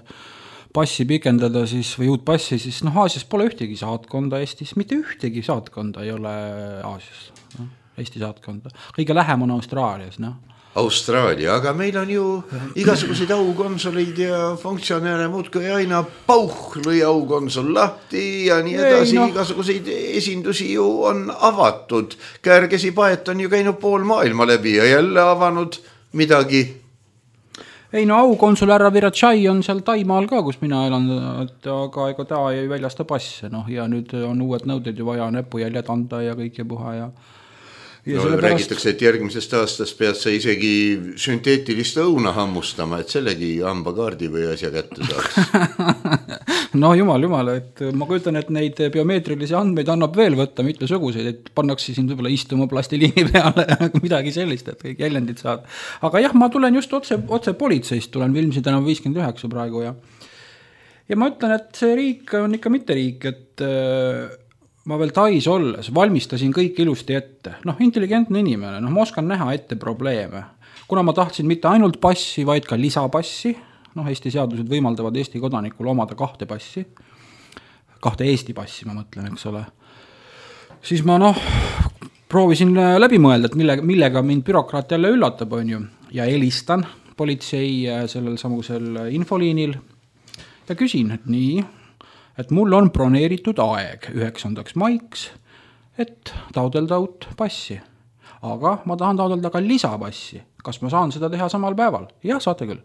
passi pikendada siis, või uut passi, siis noh, Aasias pole ühtegi saatkonda Eestis, mitte ühtegi saatkonda ei ole Aasias, no, Eesti saatkonda. Kõige lähem on Austraalias, noh. Austraalia, aga meil on ju igasuguseid aukonsoleid ja funktsionäre muudkui aina pauh lõi aukonsul lahti ja nii edasi, no. Igasuguseid esindusi ju on avatud. Käärgesi Paet on ju käinud pool maailma läbi ja jälle avanud midagi. Ei no aukonsul härra Virachai on seal Taimaal ka, kus mina elan, et aga ega ta ei väljasta passe, noh, ja nüüd on uued nõuded ju vaja näpujäljed anda ja kõik ja puha ja Ja no, räägitakse, et järgmisest aastast pead sa isegi sünteetilist õuna hammustama, et sellegi hambakaardi või asja kätte saaks. No jumal, jumal, et ma kujutan, et neid biomeetrilisi andmeid annab veel võtta mitmesuguseid, et pannakse siin võib-olla istuma plastiliini peale, midagi sellist, et kõik jäljendid saad. Aga jah, ma tulen just otse, otse politseist, tulen Vilmsi tänav viiskümmend üheksa praegu ja ja ma ütlen, et see riik on ikka mitte riik, et ma veel Tais olles valmistasin kõik ilusti ette. Noh, intelligentne inimene, noh, ma oskan näha ette probleeme. Kuna ma tahtsin mitte ainult passi, vaid ka lisapassi, noh, Eesti seadused võimaldavad Eesti kodanikul omada kahte passi, kahte Eesti passi, ma mõtlen, eks ole, siis ma noh, proovisin läbi mõelda, et millega, millega mind bürokraat jälle üllatab, on ju, ja helistan politsei sellel samusel infoliinil ja küsin, et nii, et mul on broneeritud aeg üheksandaks maiks, et taodelda uut passi. Aga ma tahan taodelda ka lisapassi. Kas ma saan seda teha samal päeval? Jah, saate küll.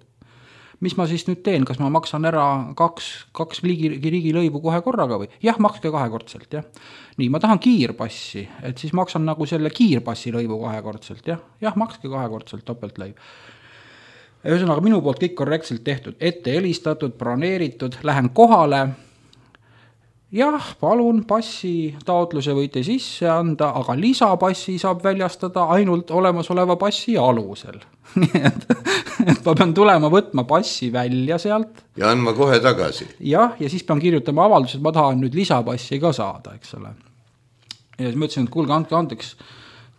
Mis ma siis nüüd teen? Kas ma maksan ära kaks, kaks riigi, riigi lõivu kohe korraga või? Jah, makske kahekordselt, jah. Nii, ma tahan kiirpassi, et siis maksan nagu selle kiirpassi lõivu kahekordselt, jah. Jah, makske kahekordselt topeltlõiv. Ühesõnaga, minu poolt kõik korrektselt tehtud, ette helistatud, broneeritud, lähen kohale. Jah, palun, passi taotluse võite sisse anda, aga lisapassi saab väljastada ainult olemasoleva passi alusel. Nii et, et ma pean tulema võtma passi välja sealt. Ja andma kohe tagasi. Jah, ja siis pean kirjutama avaldus, et ma tahan nüüd lisapassi ka saada, eks ole. Ja siis ma ütlesin, et kuulge, andke andeks,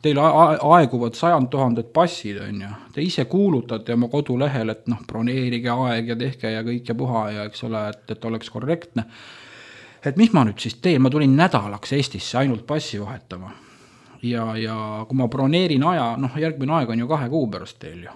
teil aeguvad sajand tuhanded passid, on ju. Te ise kuulutate oma kodulehel, et noh, broneerige aeg ja tehke ja kõik ja puha ja eks ole, et, et oleks korrektne. Et mis ma nüüd siis teen, ma tulin nädalaks Eestisse ainult passi vahetama ja, ja kui ma broneerin aja, noh järgmine aeg on ju kahe kuu pärast teil ju.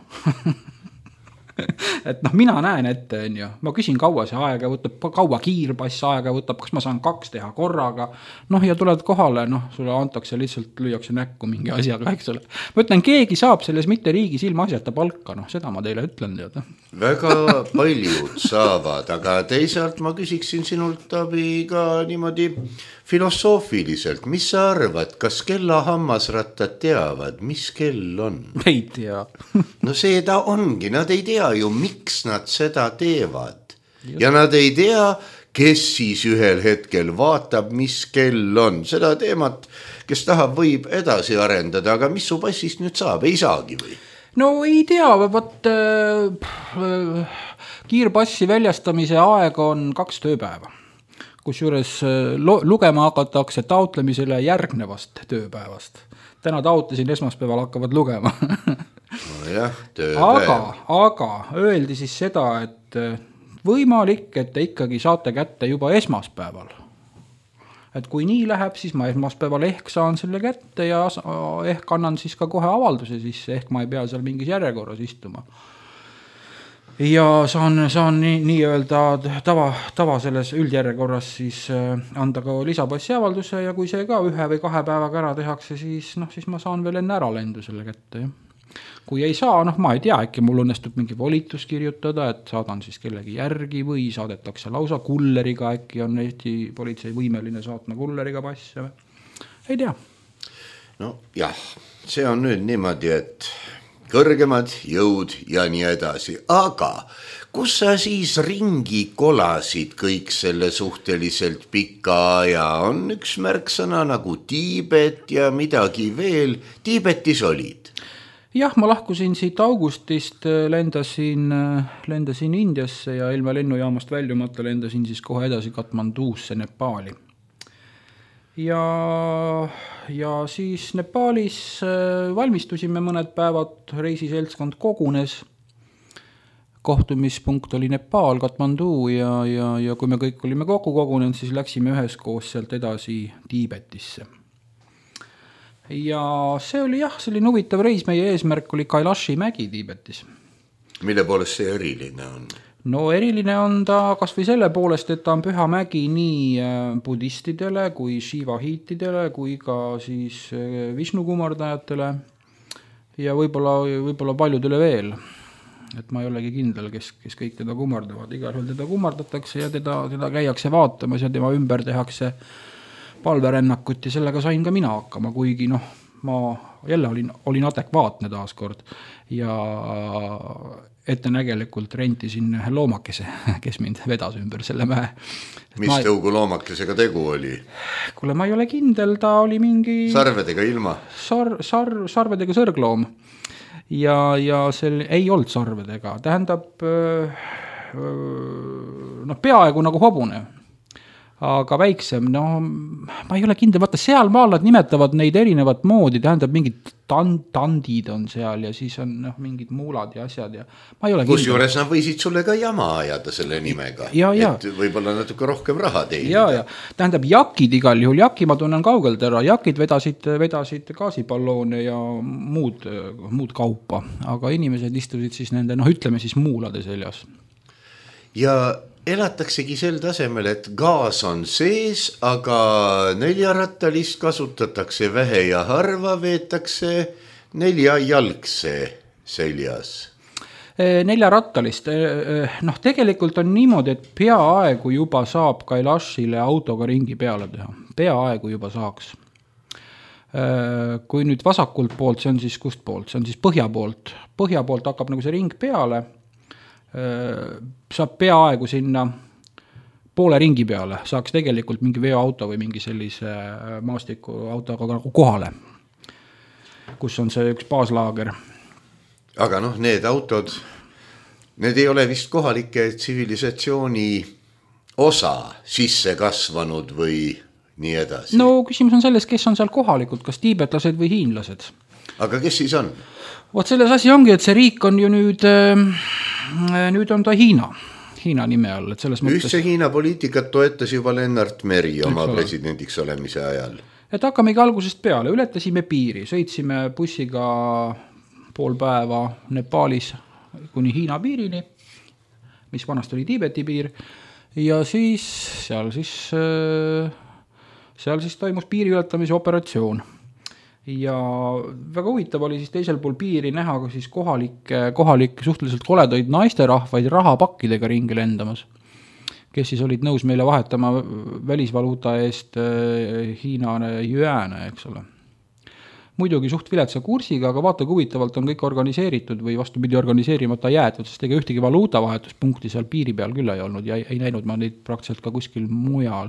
Et noh, mina näen ette, on ju, ma küsin kaua see aega võtab, kaua kiirpass aega võtab, kas ma saan kaks teha korraga, noh ja tuled kohale, noh, sulle antakse lihtsalt, lüüakse näkku mingi asjaga, eks ole. Ma ütlen, keegi saab selles mitte riigis ilma asjata palka, noh, seda ma teile ütlen teada. Väga paljud saavad, aga teisalt ma küsiksin sinult abi ka niimoodi filosoofiliselt, mis sa arvad, kas kella hammasrattad teavad, mis kell on? Ei tea. No see ta ongi, nad ei tea ju, miks nad seda teevad. Ja nad ei tea, kes siis ühel hetkel vaatab, mis kell on. Seda teemat, kes tahab, võib edasi arendada, aga mis su passist nüüd saab, ei saagi või? No ei tea, vaat äh, kiirpassi väljastamise aeg on kaks tööpäeva. Kusjuures lugema hakatakse taotlemisele järgnevast tööpäevast. Täna taotlesin, esmaspäeval hakkavad lugema. No jah, tööpäev. Aga, aga öeldi siis seda, et võimalik, et te ikkagi saate kätte juba esmaspäeval. Et kui nii läheb, siis ma esmaspäeval ehk saan selle kätte ja ehk annan siis ka kohe avalduse sisse, ehk ma ei pea seal mingis järjekorras istuma. Ja saan, saan nii, nii öelda tava, tava selles üldjärjekorras siis anda ka lisapassi avalduse ja kui see ka ühe või kahe päevaga ära tehakse, siis, noh, siis ma saan veel enne ära lendu selle kätte. Ja. Kui ei saa, noh, ma ei tea, äkki mul õnnestub mingi volitus kirjutada, et saadan siis kellegi järgi või saadetakse lausa kulleriga, äkki on Eesti politsei võimeline saatma kulleriga passe. Ei tea. No jah, see on nüüd niimoodi, et kõrgemad jõud ja nii edasi, aga kus sa siis ringi kolasid kõik selle suhteliselt pika aja? On üks märksõna nagu Tiibet ja midagi veel. Tiibetis olid? Jah, ma lahkusin siit augustist, lendasin, lendasin Indiasse ja ilma lennujaamast väljumata lendasin siis kohe edasi Katmanduusse, Nepaali. ja, ja siis Nepaalis valmistusime mõned päevad, reisiseltskond kogunes, kohtumispunkt oli Nepaal, Katmandu ja, ja, ja kui me kõik olime kokku kogunenud, siis läksime üheskoos sealt edasi Tiibetisse. Ja see oli jah, selline huvitav reis, meie eesmärk oli Kailashi mägi Tiibetis. Mille poolest see eriline on? No eriline on ta kas või selle poolest, et ta on püha mägi nii budistidele kui shivahiitidele kui ka siis Vishnu kumardajatele ja võib-olla, võib-olla paljudele veel. Et ma ei olegi kindel, kes, kes kõik teda kummardavad. Igal juhul teda kummardatakse ja teda, teda käiakse vaatamas ja tema ümber tehakse palverännakut ja sellega sain ka mina hakkama, kuigi noh, ma jälle olin, olin adekvaatne taaskord ja ettenägelikult rentisin loomakese, kes mind vedas ümber selle mäe. Mis ma... tõugu loomakesega tegu oli? Kuule, ma ei ole kindel, ta oli mingi... Sarvedega ilma? Sar, sar, sarvedega sõrgloom. Ja, ja sel ei olnud sarvedega. Tähendab, noh, peaaegu nagu hobune, aga väiksem, no ma ei ole kindel, vaata seal maal nad nimetavad neid erinevat moodi, tähendab mingid tand, tandid on seal ja siis on noh, mingid muulad ja asjad ja ma ei ole kindel. Kusjuures nad võisid sulle ka jama ajada selle nimega, ja, ja. et võib-olla natuke rohkem raha teenida. Ja, ja. Tähendab, jakid igal juhul, jaki ma tunnen kaugelt ära, jakid vedasid, vedasid gaasipalloone ja muud, muud kaupa, aga inimesed istusid siis nende, noh ütleme siis muulade seljas. Ja elataksegi sel tasemel, et gaas on sees, aga neljarattalist kasutatakse vähe ja harva, veetakse neljajalgse seljas. Neljarattalist, noh tegelikult on niimoodi, et peaaegu juba saab Kailashile autoga ringi peale teha. Peaaegu juba saaks. Kui nüüd vasakult poolt, see on siis kust poolt, see on siis põhja poolt. Põhja poolt hakkab nagu see ring peale, saab peaaegu sinna poole ringi peale, saaks tegelikult mingi veoauto või mingi sellise maastiku autoga nagu kohale, kus on see üks baaslaager. Aga noh, need autod, need ei ole vist kohalike tsivilisatsiooni osa sisse kasvanud või nii edasi. No küsimus on selles, kes on seal kohalikud, kas tiibetlased või hiinlased. Aga kes siis on? Vot selles asi ongi, et see riik on ju nüüd, nüüd on ta Hiina, Hiina nime all. Et selles mõttes... Ühtse Hiina poliitikat toetas juba Lennart Meri oma presidendiks olemise ajal. Et hakkamegi algusest peale, ületasime piiri, sõitsime bussiga pool päeva Nepaalis kuni Hiina piirini, mis vanast oli Tiibeti piir, ja siis seal siis, seal siis toimus piiri ületamise operatsioon. Ja väga huvitav oli siis teisel pool piiri näha siis kohalik, kohalik suhteliselt koledaid naisterahvaid rahapakkidega ringi lendamas, kes siis olid nõus meile vahetama välisvaluuta eest Hiina jüääne, eks ole. Muidugi suht viletsa kursiga, aga vaata, kui huvitavalt on kõik organiseeritud või vastupidi organiseerimata jäetud, sest ega ühtegi valuutavahetuspunkti seal piiri peal küll ei olnud ja ei näinud ma neid praktiliselt ka kuskil mujal.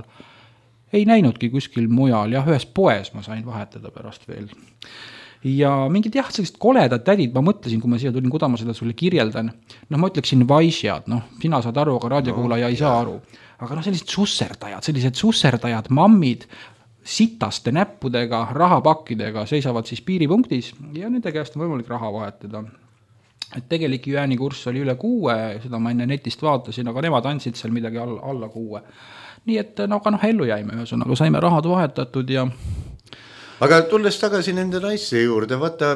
Ei näinudki kuskil mujal, jah, ühes poes ma sain vahetada pärast veel. Ja mingid jah, sellised koledad tädid, ma mõtlesin, kui ma siia tulin, kuda ma seda sulle kirjeldan, noh, ma ütleksin vaisjad, noh, sina saad aru, aga raadiokuulaja ei saa aru. Aga noh, sellised susserdajad, sellised susserdajad, mammid, sitaste näppudega, rahapakkidega seisavad siis piiripunktis ja nende käest on võimalik raha vahetada. Et tegelik jüääni kurss oli üle kuue, seda ma enne netist vaatasin, aga nemad andsid seal midagi alla, alla kuue. Nii et no, aga noh, ellu jäime ühesõnaga, saime rahad vahetatud ja... Aga tulles tagasi nende naiste juurde, vaata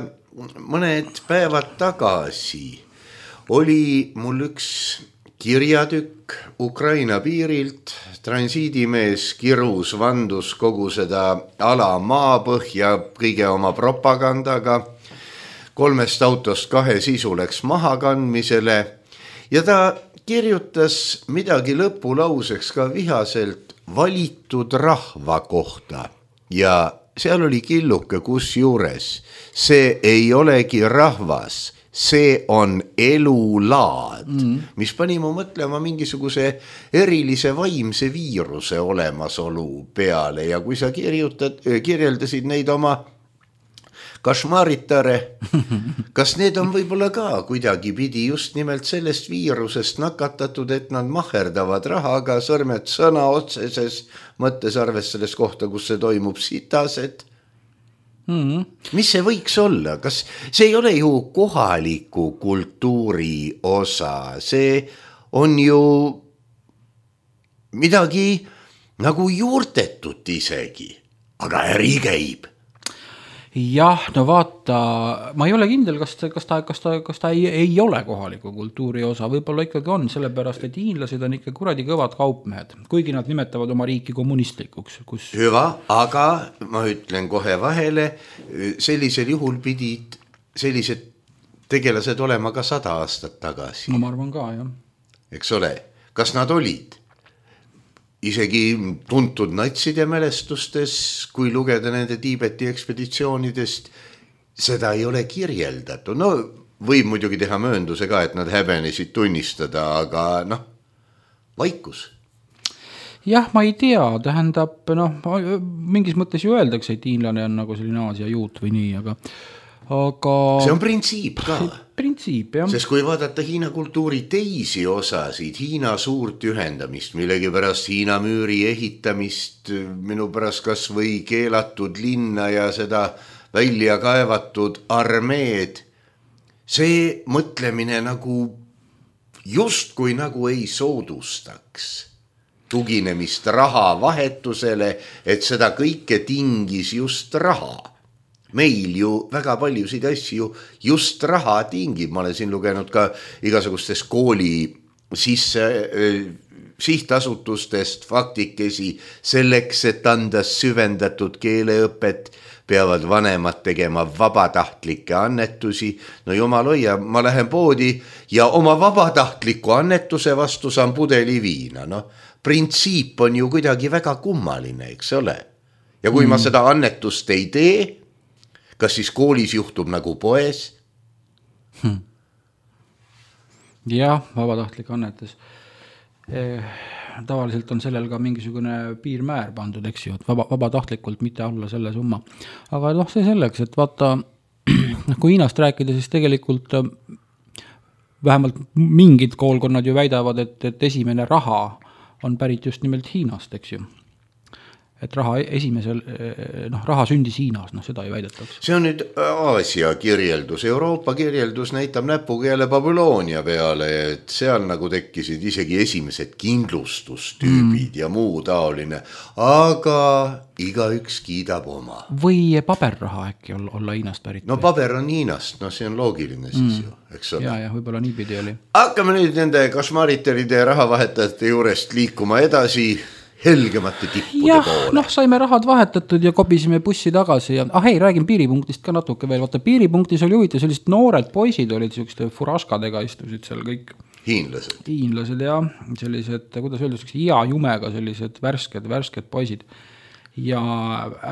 mõned päevad tagasi oli mul üks kirjatükk Ukraina piirilt, transiidimees kirus vandus kogu seda ala maapõhja kõige oma propagandaga, kolmest autost kahe sisu läks maha kandmisele ja ta kirjutas midagi lõpulauseks ka vihaselt valitud rahva kohta ja seal oli killuke kus juures. See ei olegi rahvas, see on elulaad, mm. mis pani mu mõtlema mingisuguse erilise vaimse viiruse olemasolu peale ja kui sa kirjutad, kirjeldasid neid oma kašmaritare, kas need on võib-olla ka kuidagi pidi just nimelt sellest viirusest nakatatud, et nad maherdavad rahaga, sõrmed sõna otseses mõttes arvestades kohta, kus see toimub sitased? Mm-hmm. Mis see võiks olla? Kas see ei ole ju kohaliku kultuuri osa, see on ju midagi nagu juurtetut isegi, aga äri käib. Jah, no vaata, ma ei ole kindel, kas ta, kas ta, kas ta, kas ta ei, ei ole kohaliku kultuuri osa, võib-olla ikkagi on, sellepärast, et hiinlased on ikka kuradi kõvad kaupmehed, kuigi nad nimetavad oma riiki kommunistlikuks. Kus... Hüva, aga ma ütlen kohe vahele, sellisel juhul pidid sellised tegelased olema ka sada aastat tagasi. No ma arvan ka, jah. Eks ole, kas nad olid? Isegi tuntud natside mälestustes, kui lugeda nende Tiibeti ekspeditsioonidest, seda ei ole kirjeldatud. No võib muidugi teha möönduse ka, et nad häbenesid tunnistada, aga noh, vaikus. Jah, ma ei tea, tähendab, noh, mingis mõttes ju öeldakse, et hiinlane on nagu selline Aasia juut või nii, aga... aga... See on printsiip ka. Printsiip, jah. Sest kui vaadata Hiina kultuuri teisi osasid, Hiina suurt ühendamist, millegi pärast Hiina müüri ehitamist, minu pärast kas või keelatud linna ja seda välja kaevatud armeed, see mõtlemine nagu just kui nagu ei soodustaks tuginemist raha vahetusele, et seda kõike tingis just raha. Meil ju väga paljusid asju just raha tingib. Ma olen siin lugenud ka igasugustes kooli sisse äh, sihtasutustest faktikesi selleks, et anda süvendatud keeleõpet, peavad vanemad tegema vabatahtlikke annetusi. No jumal hoia, ma lähen poodi ja oma vabatahtliku annetuse vastu saan pudeli viina. No, printsiip on ju kuidagi väga kummaline, eks ole. Ja kui mm. ma seda annetust ei tee, kas siis koolis juhtub nagu poes? Hmm. Jah, vabatahtlik annetus. Eh, tavaliselt on sellel ka mingisugune piirmäär pandud, eks ju, et vaba, vabatahtlikult mitte alla selle summa. Aga noh, see selleks, et vaata, kui Hiinast rääkida, siis tegelikult vähemalt mingid koolkonnad ju väidavad, et, et esimene raha on pärit just nimelt Hiinast, eks ju. Et raha esimesel, noh, raha sündis Hiinas, noh, seda ei väidetakse. See on nüüd Aasia kirjeldus, Euroopa kirjeldus näitab näpuga jälle Babyloonia peale, et seal nagu tekkisid isegi esimesed kindlustustüübid mm. ja muu taoline, aga igaüks kiidab oma. Või paberraha äkki olla, olla Hiinast pärit? No paber on Hiinast, no see on loogiline siis mm. ju, eks ole. Ja, ja võib-olla niipidi oli. Hakkame nüüd nende kašmariteride ja rahavahetajate juurest liikuma edasi helgemate tippude jah, poole. Noh, saime rahad vahetatud ja kobisime bussi tagasi ja ah hei, räägin piiripunktist ka natuke veel. Vaata, piiripunktis oli huvitav, sellised noored poisid olid sellised furaskadega istusid seal kõik. Hiinlased. Hiinlased ja sellised, kuidas öelda, ia jumega sellised värsked, värsked poisid. Ja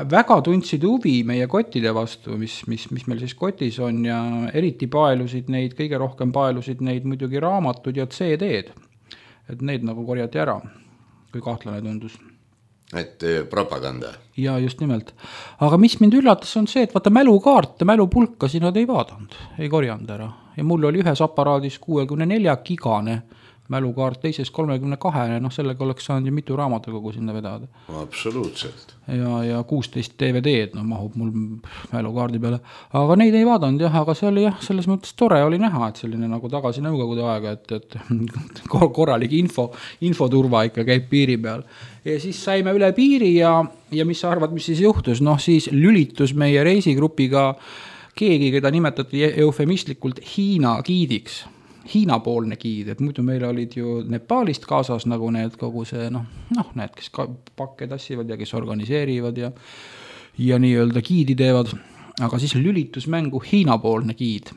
väga tundsid huvi meie kottide vastu, mis, mis, mis meil siis kotis on ja eriti paelusid neid, kõige rohkem paelusid neid muidugi raamatud ja C D-d. Et neid nagu korjati ära. Kui kahtlane tundus. Et propaganda. Ja just nimelt. Aga mis mind üllatas on see, et vaata mälukaarte, mälupulkasi nad ei vaadanud, ei korjanud ära. Ja mul oli ühes aparaadis kuuekümne nelja gigane mälukaart, teises kolmekümne kahe, noh sellega oleks saanud ju mitu raamatukogu sinna vedada. Absoluutselt. Ja, ja kuusteist D V D-d, no mahub mul mälukaardi peale. Aga neid ei vaadanud jah, aga see oli jah, selles mõttes tore oli näha, et selline nagu tagasi nõukogude aega, et, et korralik info, infoturva ikka käib piiri peal. Ja siis saime üle piiri ja, ja mis sa arvad, mis siis juhtus? Noh, siis lülitus meie reisigrupiga keegi, keda nimetati eufemistlikult Hiina giidiks. Hiina-poolne giid, et muidu meil olid ju Nepaalist kaasas nagu need kogu see, noh, noh need, kes pakke tassivad ja kes organiseerivad ja, ja nii-öelda giidi teevad, aga siis lülitus mängu Hiina-poolne giid.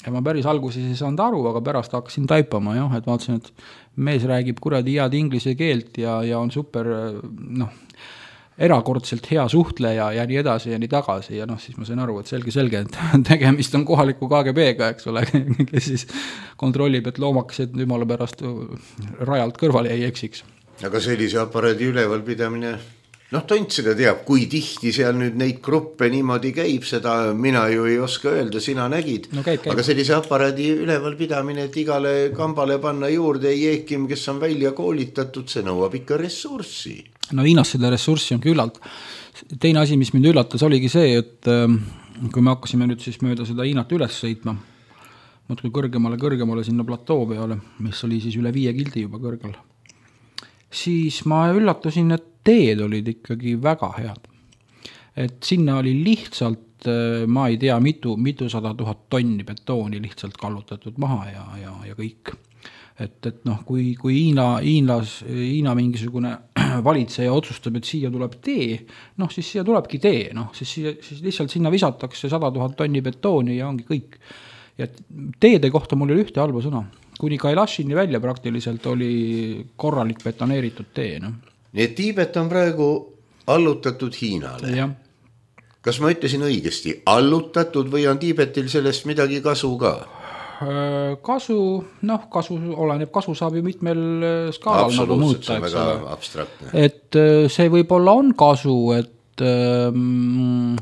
Ja ma päris alguses ei saanud aru, aga pärast hakkasin taipama, jah, et vaatasin, et mees räägib kuradi head inglise keelt ja, ja on super, noh, erakordselt hea suhtleja ja nii edasi ja nii tagasi ja noh, siis ma sain aru, et selge, selge, et tegemist on kohaliku K G B-ga, eks ole, kes siis kontrollib, et loomakesed jumala pärast rajalt kõrvale ei eksiks. Aga sellise aparaadi ülevalpidamine Noh, Tont seda teab, kui tihti seal nüüd neid gruppe niimoodi käib, seda mina ju ei oska öelda, sina nägid. No käib, käib. Aga sellise aparaadi ülevalpidamine, et igale kambale panna juurde jeekim, kes on välja koolitatud, see nõuab ikka ressurssi. No Hiinas seda ressurssi on küllalt. Teine asi, mis mind üllatas, oligi see, et kui me hakkasime nüüd siis mööda seda Hiinat üles sõitma, muudkui kõrgemale, kõrgemale sinna platoo peale, mis oli siis üle viie kildi juba kõrgel, siis ma üllatusin, et teed olid ikkagi väga head. Et sinna oli lihtsalt, ma ei tea, mitu, mitu sada tuhat tonni betooni lihtsalt kallutatud maha ja, ja, ja kõik. Et, et noh, kui, kui Hiina, Hiinas, Hiina mingisugune valitseja otsustab, et siia tuleb tee, noh siis siia tulebki tee, noh siis, siis lihtsalt sinna visatakse sada tuhat tonni betooni ja ongi kõik. Ja teede kohta mul oli ühte halba sõna. Kuni Kailashini välja praktiliselt oli korralik betoneeritud tee. No. Nii et Tiibet on praegu allutatud Hiinale. Ja. Kas ma ütlesin õigesti, allutatud või on Tiibetil sellest midagi kasu ka? Kasu, noh, kasu oleneb, kasu saab ju mitmel skaalal nagu muuta. Absoluutselt, see on väga abstraktne. Et see võib-olla on kasu, et ähm,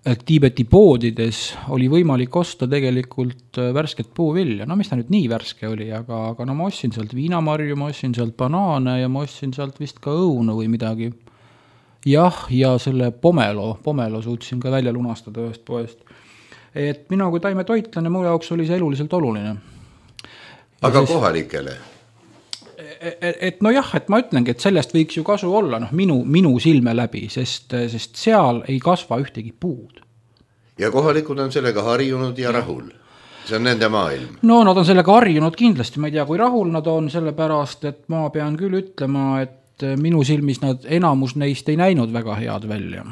et Tiibeti poodides oli võimalik osta tegelikult värsket puuvilja. No mis ta nüüd nii värske oli, aga, aga no ma ostsin sealt viinamarju, ma ostsin sealt banaane ja ma ostsin sealt vist ka õunu või midagi. Jah, ja selle pomelo, pomelo suutsin ka välja lunastada ühest poest. Et mina kui taime toitlane, mu jaoks oli see eluliselt oluline. Aga siis, kohalikele? Et, et no jah, et ma ütlengi, et sellest võiks ju kasu olla noh, minu, minu silme läbi, sest, sest seal ei kasva ühtegi puud. Ja kohalikud on sellega harjunud ja rahul. See on nende maailm. No nad on sellega harjunud kindlasti, ma ei tea, kui rahul nad on sellepärast, et ma pean küll ütlema, et minu silmis nad enamus neist ei näinud väga head välja.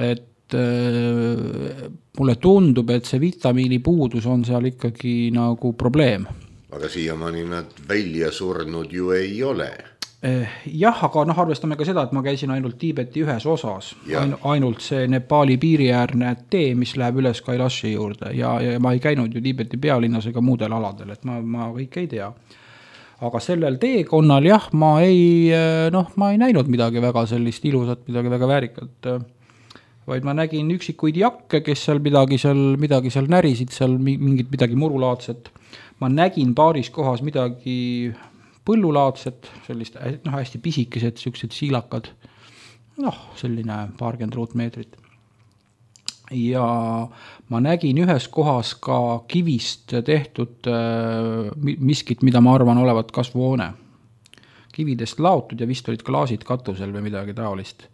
Et äh, mulle tundub, et see vitamiini puudus on seal ikkagi nagu probleem. Aga siiamaani nad välja surnud ju ei ole. Jah, aga noh, arvestame ka seda, et ma käisin ainult Tiibeti ühes osas. Ain, ainult see Nepali piiriäärne tee, mis läheb üles Kailashi juurde. Ja, ja ma ei käinud ju Tiibeti pealinnas ega muudel aladel, et ma, ma kõik ei tea. Aga sellel teekonnal jah, ma ei, noh, ma ei näinud midagi väga sellist ilusat, midagi väga väärikat. Vaid ma nägin üksikuid jakke, kes seal midagi seal, midagi seal närisid, seal mingit midagi murulaadset. Ma nägin paaris kohas midagi põllulaadset, sellist noh, hästi pisikesed, sellised siilakad, noh, selline paarkümmend ruutmeetrit. Ja ma nägin ühes kohas ka kivist tehtud miskit, mida ma arvan olevat kasvuhoone. Kividest laotud ja vist olid klaasid katusel või midagi taolist.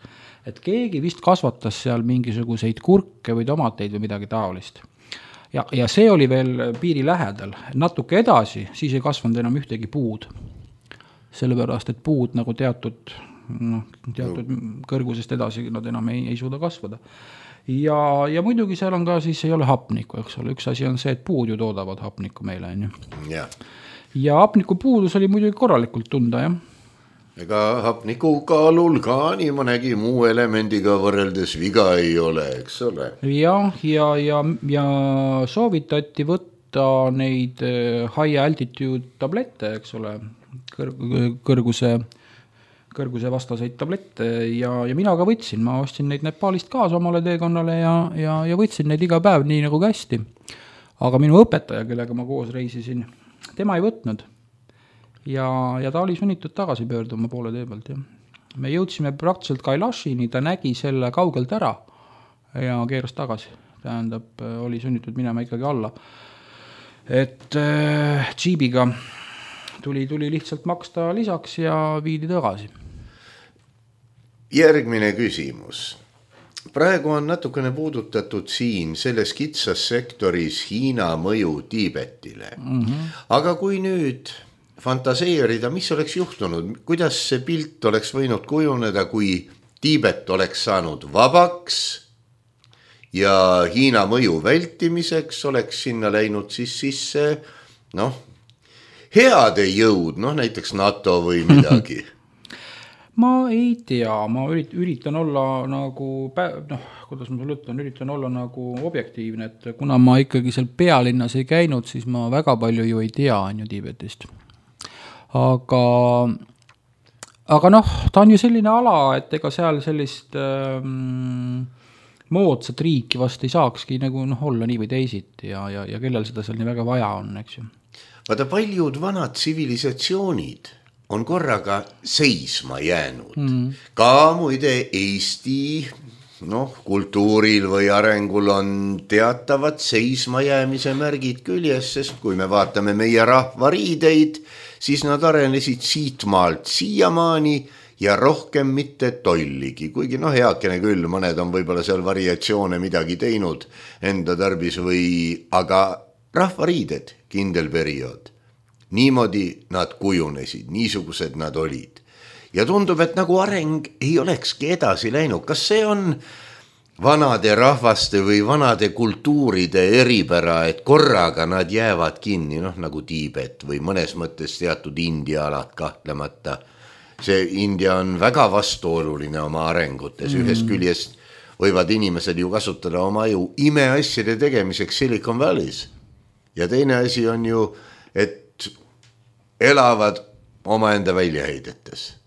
Et keegi vist kasvatas seal mingisuguseid kurke või tomateid või midagi taolist. Ja, ja see oli veel piiri lähedal. Natuke edasi, siis ei kasvanud enam ühtegi puud. Sellepärast, et puud nagu teatud, no, teatud no. kõrgusest edasi nad enam ei, ei suuda kasvada. Ja, ja muidugi seal on ka siis ei ole hapnikku, eks ole. Üks asi on see, et puud ju toodavad hapnikku meile. Ja. ja hapniku puudus oli muidugi korralikult tunda, jah. Ega hapniku kaalul ka nii mõnegi muu elemendiga võrreldes viga ei ole, eks ole. Ja, ja, ja, ja soovitati võtta neid high altitude tablette, eks ole, kõrguse, kõrguse vastaseid tablette ja, ja mina ka võtsin, ma ostsin neid Nepalist kaasa omale teekonnale ja, ja, ja võtsin neid iga päev nii nagu kästi. Aga minu õpetaja, kellega ma koos reisisin, tema ei võtnud. Ja, ja ta oli sunnitud tagasi pöörduma poole tee pealt. Ja. Me jõudsime praktiliselt Kailashini, ta nägi selle kaugelt ära ja keeras tagasi. Tähendab, oli sunnitud minema ikkagi alla. Et äh, džiibiga tuli, tuli lihtsalt maksta lisaks ja viidi tagasi. Järgmine küsimus. Praegu on natukene puudutatud siin selles kitsas sektoris Hiina mõju Tiibetile. Mm-hmm. Aga kui nüüd fantaseerida, mis oleks juhtunud, kuidas see pilt oleks võinud kujuneda, kui Tiibet oleks saanud vabaks ja Hiina mõju vältimiseks oleks sinna läinud siis sisse, noh, heade jõud, noh, näiteks NATO või midagi. Ma ei tea, ma üritan olla nagu, noh, kuidas ma sulle ütlen, üritan olla nagu objektiivne, et kuna ma ikkagi seal pealinnas ei käinud, siis ma väga palju ju ei tea on ju Tiibetist. Aga, aga noh, ta on ju selline ala, et ega seal sellist ähm, moodsat riiki vast ei saakski nagu noh, olla nii või teisiti ja, ja, ja kellel seda seal nii väga vaja on, eks ju. Vaata, paljud vanad tsivilisatsioonid on korraga seisma jäänud. Mm. Ka muide Eesti noh, kultuuril või arengul on teatavad seismajäämise märgid küljes, sest kui me vaatame meie rahvariideid, siis nad arenesid siitmaalt siiamaani ja rohkem mitte tolligi, kuigi noh, heakene küll, mõned on võib-olla seal variatsioone midagi teinud enda tarbis või, aga rahvariided kindel periood. Niimoodi nad kujunesid, niisugused nad olid. Ja tundub, et nagu areng ei olekski edasi läinud. Kas see on vanade rahvaste või vanade kultuuride eripära, et korraga nad jäävad kinni, noh nagu Tiibet või mõnes mõttes teatud India alad kahtlemata. See India on väga vastuoluline oma arengutes. Mm. Ühest küljest võivad inimesed ju kasutada oma ju imeasjade tegemiseks Silicon Valley's. Ja teine asi on ju, et elavad omaenda väljaheidetes.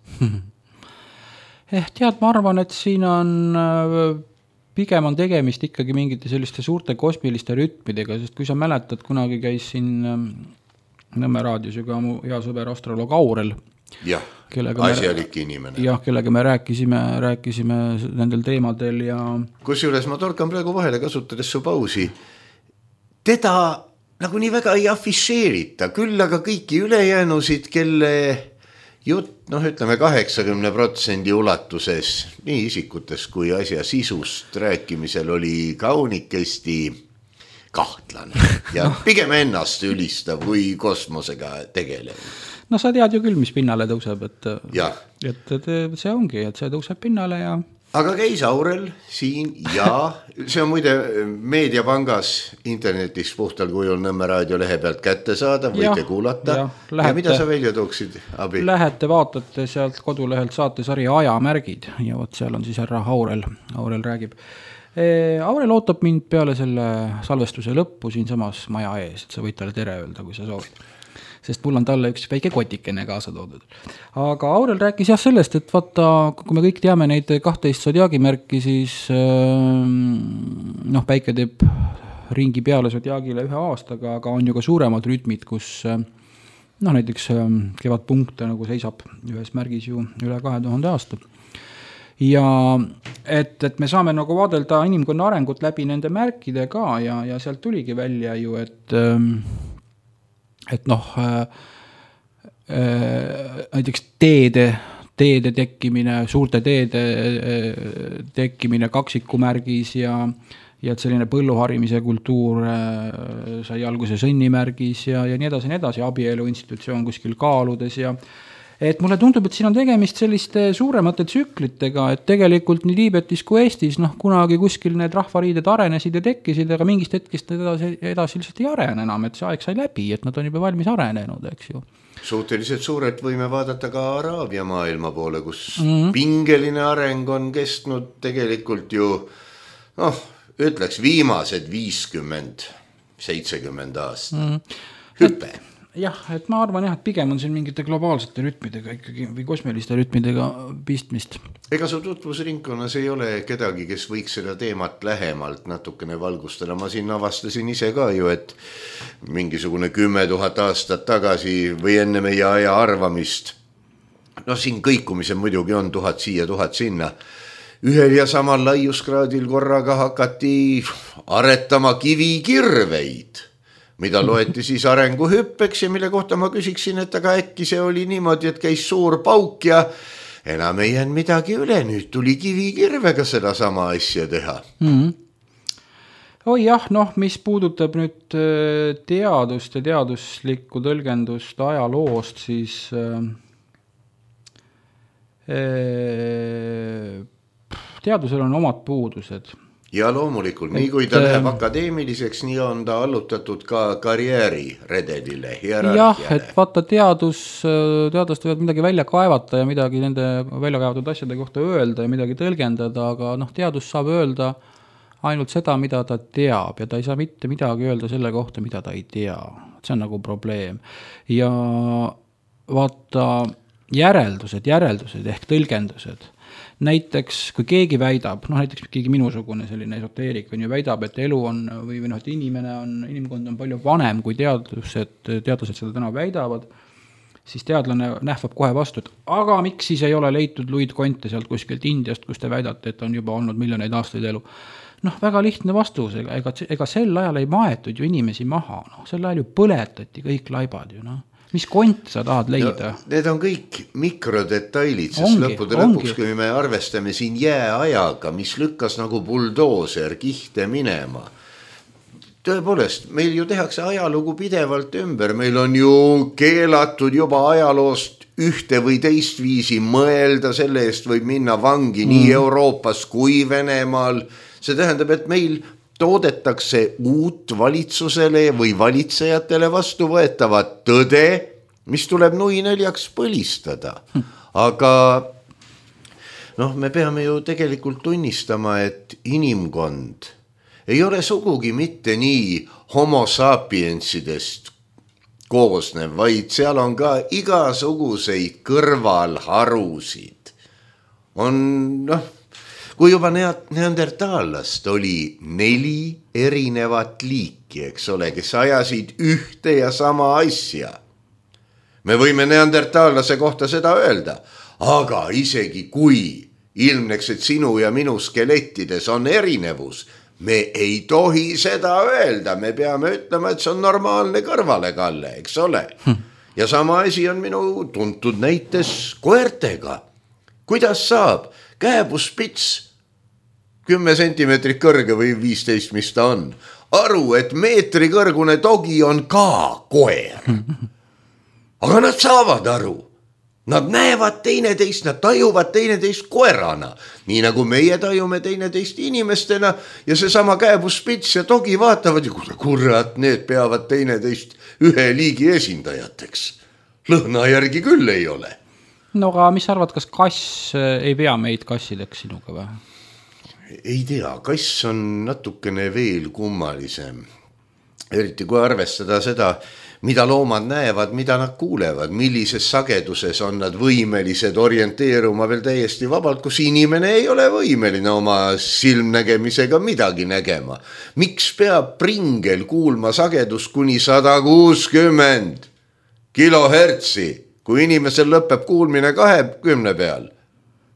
Eh, tead, ma arvan, et siin on pigem on tegemist ikkagi mingite selliste suurte kosmiliste rütmidega, sest kui sa mäletad, kunagi käis siin Nõmme raadios ju ka mu hea sõber astroloog Aurel. Jah, asjalik inimene. Jah, kellega me rääkisime, rääkisime nendel teemadel ja... Kusjuures ma torkan praegu vahele kasutades su pausi. Teda nagu nii väga ei afišeerita, küll aga kõiki ülejäänusid, kelle jutt, noh ütleme kaheksakümne protsendi ulatuses nii isikutes kui asja sisust rääkimisel oli kaunikesti kahtlane ja pigem ennast ülistav kui kosmosega tegelev. No sa tead ju küll, mis pinnale tõuseb, et, et, et see ongi, et see tõuseb pinnale ja... Aga käis Aurel siin ja see on muide Meediapangas internetis puhtal kujul Nõmme raadio lehe pealt kätte saada, võite ja, kuulata. Ja, lähete, ja mida sa välja tooksid, Abi? Lähete, vaatate sealt kodulehelt saatesari Ajamärgid ja võt seal on siis härra Aurel, Aurel räägib. E, Aurel ootab mind peale selle salvestuse lõppu siin samas maja ees, et sa võid talle tere öelda, kui sa soovid. Sest mul on talle üks väike kotikene kaasa toodud. Aga Aurel rääkis jah sellest, et vaata, kui me kõik teame neid kahteist sodiaagimärki, siis noh, päike teeb ringi peale sodiaagile ühe aastaga, aga on ju ka suuremad rütmid, kus noh, näiteks kevadpunkte nagu seisab ühes märgis ju üle kahe tuhande aasta. Ja et, et me saame nagu vaadelda inimkonna arengut läbi nende märkide ka ja, ja sealt tuligi välja ju, et et noh, äh, äh, näiteks teede, teede tekkimine, suurte teede äh, tekkimine kaksikumärgis ja, ja et selline põlluharimise kultuur äh, sai alguse sõnnimärgis ja, ja nii edasi, nii edasi, abielu institutsioon kuskil kaaludes ja et mulle tundub, et siin on tegemist selliste suuremate tsüklitega, et tegelikult nii Tiibetis kui Eestis, noh, kunagi kuskil need rahvariided arenesid ja tekkisid, aga mingist hetkest edasi, edasi lihtsalt ei arene enam, et see aeg sai läbi, et nad on juba valmis arenenud, eks ju. Suhteliselt suurelt võime vaadata ka Araabia maailma poole, kus mm-hmm. pingeline areng on kestnud tegelikult ju, noh, ütleks viimased viiskümmend, seitsekümmend aastat. Mm-hmm. Hüpe. Et... Jah, et ma arvan jah, et pigem on siin mingite globaalsete rütmidega ikkagi või kosmiliste rütmidega pistmist. Ega su tutvusringkonnas ei ole kedagi, kes võiks seda teemat lähemalt natukene valgustada. Ma siin avastasin ise ka ju, et mingisugune kümme tuhat aastat tagasi või enne meie aja arvamist, no siin kõikumise muidugi on tuhat siia, tuhat sinna, ühel ja samal laiuskraadil korraga hakati aretama kivikirveid, mida loeti siis arenguhüppeks ja mille kohta ma küsiksin, et aga äkki see oli niimoodi, et käis suur pauk ja enam ei jäänud midagi üle, nüüd tuli kivikirvega seda sama asja teha. Mm-hmm. Oi jah, noh, mis puudutab nüüd teadust ja teaduslikku tõlgendust ajaloost, siis äh, teadusel on omad puudused. Ja loomulikult, nii kui ta et, läheb akadeemiliseks, nii on ta allutatud ka karjääri redelile, hierarhiale. Jah, et vaata teadus, teadust võivad midagi välja kaevata ja midagi nende välja kaevatud asjade kohta öelda ja midagi tõlgendada, aga noh, teadus saab öelda ainult seda, mida ta teab ja ta ei saa mitte midagi öelda selle kohta, mida ta ei tea. See on nagu probleem. Ja vaata, järeldused, järeldused ehk tõlgendused. Näiteks, kui keegi väidab, noh näiteks keegi minusugune selline esoteerik on ju väidab, et elu on, või, või noh, et inimene on, inimkond on palju vanem, kui teadlused, teadlased seda täna väidavad, siis teadlane nähvab kohe vastu, et aga miks siis ei ole leitud Luid Konte sealt kuskilt Indiast, kus te väidate, et on juba olnud miljoneid aastaid elu. Noh, väga lihtne vastus, ega, ega sel ajal ei maetud ju inimesi maha, noh, sel ajal ju põletati kõik laibad ju, noh. Mis kont sa tahad leida? No, need on kõik mikrodetailid, sest ongi, lõppude ongi. Lõpuks, kui me arvestame siin jääajaga, mis lükkas nagu buldooser kihte minema. Tõepoolest, meil ju tehakse ajalugu pidevalt ümber, meil on ju keelatud juba ajaloost ühte või teist viisi mõelda, selle eest võib minna vangi mm. nii Euroopas kui Venemaal. See tähendab, et meil toodetakse uut valitsusele või valitsejatele vastu võetavat tõde, mis tuleb nui neljaks põlistada. Aga noh, me peame ju tegelikult tunnistama, et inimkond ei ole sugugi mitte nii homo sapiensidest koosnev, vaid seal on ka igasuguseid kõrvalharusid. On noh, kui juba neandertaallast oli neli erinevat liiki, eks ole, kes ajasid ühte ja sama asja. Me võime neandertaallase kohta seda öelda, aga isegi kui ilmneks, et sinu ja minu skelettides on erinevus, me ei tohi seda öelda, me peame ütlema, et see on normaalne kõrvalekalle, eks ole. Hm. Ja sama asi on minu tuntud näites koertega. Kuidas saab kääbuspits kümme sentimeetrit kõrge või viisteist, mis ta on, aru, et meetri kõrgune dogi on ka koer. Aga nad saavad aru. Nad näevad teineteist, nad tajuvad teineteist koerana, nii nagu meie tajume teineteist inimestena ja seesama kääbuspits ja dogi vaatavad ja kurat, need peavad teineteist ühe liigi esindajateks. Lõhna järgi küll ei ole. No aga mis arvad, kas kass ei pea meid kassideks sinuga või? Ei tea, kass on natukene veel kummalisem. Eriti kui arvestada seda, mida loomad näevad, mida nad kuulevad, millises sageduses on nad võimelised orienteeruma veel täiesti vabalt, kus inimene ei ole võimeline oma silmnägemisega midagi nägema. Miks peab pringel kuulma sagedus kuni sada kuuskümmend kilohertsi, kui inimesel lõpeb kuulmine kahekümne peal?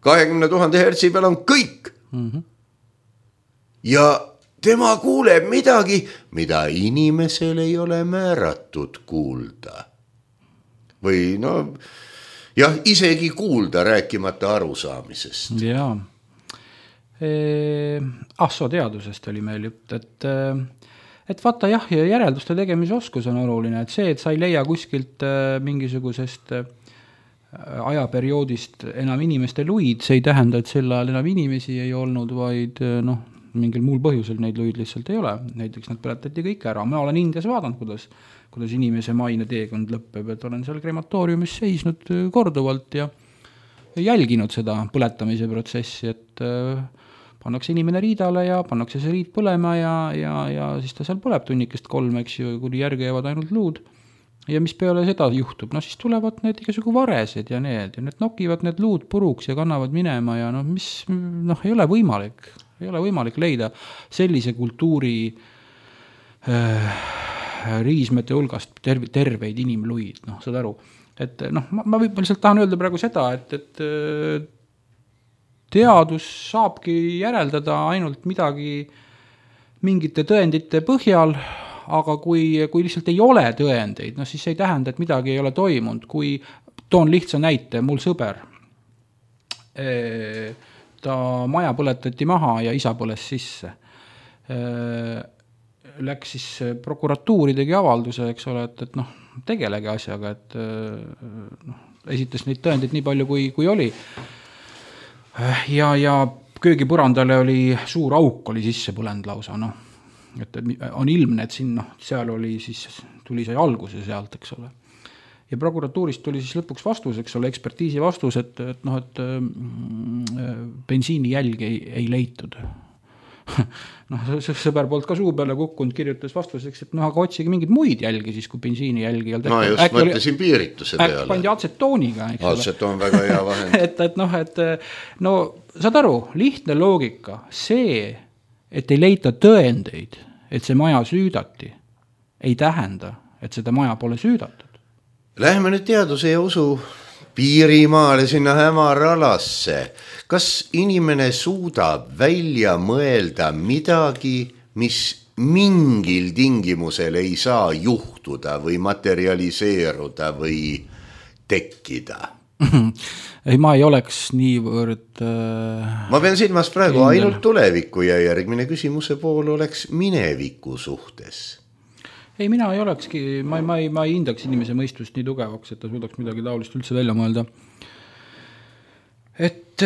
kahekümne tuhande hertsi peal on kõik. Mm-hmm. Ja tema kuuleb midagi, mida inimesel ei ole määratud kuulda. Või no, jah, isegi kuulda rääkimata arusaamisest. Jaa. E, assoteadusest oli meil jutt, et, et vaata jah, järelduste tegemise oskus on oluline, et see, et sa ei leia kuskilt mingisugusest ajaperioodist enam inimeste luid, see ei tähenda, et sel ajal enam inimesi ei olnud, vaid noh, mingil muul põhjusel neid luid lihtsalt ei ole. Näiteks nad põletati kõik ära. Ma olen Indias vaadanud, kuidas, kuidas inimese maine teekond lõppeb, et olen seal krematooriumis seisnud korduvalt ja jälginud seda põletamise protsessi, et pannakse inimene riidale ja pannakse see riid põlema ja, ja, ja siis ta seal põleb tunnikest kolm, eks ju, kuni järgi jäävad ainult luud. Ja mis peale seda juhtub, no siis tulevad need igasugu varesed ja need, ja need nokivad need luud puruks ja kannavad minema ja noh, mis noh, ei ole võimalik, ei ole võimalik leida sellise kultuuri äh, riismete hulgast terve, terveid inimluid, noh, saad aru. Et noh, ma, ma lihtsalt tahan öelda praegu seda, et, et teadus saabki järeldada ainult midagi mingite tõendite põhjal, aga kui, kui lihtsalt ei ole tõendeid, no siis ei tähenda, et midagi ei ole toimunud. Kui toon lihtsa näite, mul sõber, ta maja põletati maha ja isa põles sisse. Läks siis prokuratuuri tegi avalduse, eks ole, et, et noh, tegelege asjaga, et noh, esitas neid tõendeid nii palju, kui, kui oli. Ja, ja köögipõrandale oli suur auk, oli sisse põlend lausa, noh. Et on ilmne, et siin, noh, seal oli siis, tuli sai alguse sealt, eks ole. Ja prokuratuurist tuli siis lõpuks vastus, eks ole, ekspertiisi vastus, et, et noh, et bensiini jälgi ei, ei leitud. noh, sõber poolt ka suu peale kukkunud, kirjutas vastuseks, et noh, aga otsige mingeid muid jälgi siis, kui bensiini jälgi. No just äkki mõtlesin oli, piirituse peale. Äkki pandi atsetooniga. Atsetoon väga hea vahend. et, et noh, et no saad aru, lihtne loogika, see, et ei leita tõendeid, et see maja süüdati, ei tähenda, et seda maja pole süüdatud. Lähme nüüd teaduse ja usu Piirimaale sinna hämaralasse. Kas inimene suudab välja mõelda midagi, mis mingil tingimusel ei saa juhtuda või materialiseeruda või tekkida? Ei, ma ei oleks niivõrd... Äh... Ma pean silmas praegu kindel. Ainult tulevikku ja järgmine küsimuse pool oleks mineviku suhtes. Ei, mina ei olekski, ma, ma, ei, ma ei hindaks inimese mõistust nii tugevaks, et ta suudaks midagi taolist üldse välja mõelda. Et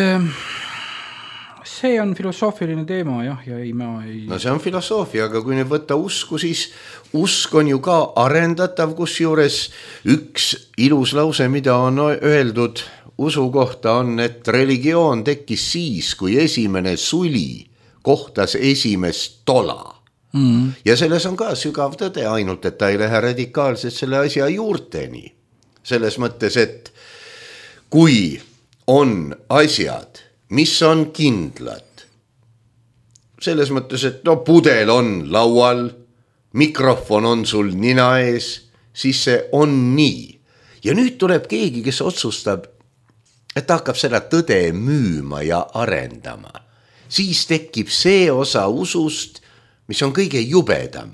see on filosoofiline teema, jah, ja ei, ma ei... No see on filosoofia, aga kui nüüd võtta usku, siis usk on ju ka arendatav, kus juures üks ilus lause, mida on öeldud usu kohta on, et religioon tekkis siis, kui esimene suli kohtas esimest tola. Mm. Ja selles on ka sügav tõde, ainult et ta ei lähe radikaalselt selle asja juurteni. Selles mõttes, et kui on asjad, mis on kindlad, selles mõttes, et no pudel on laual, mikrofon on sul nina ees, siis see on nii. Ja nüüd tuleb keegi, kes otsustab, et ta hakkab seda tõde müüma ja arendama. Siis tekib see osa usust, mis on kõige jubedam,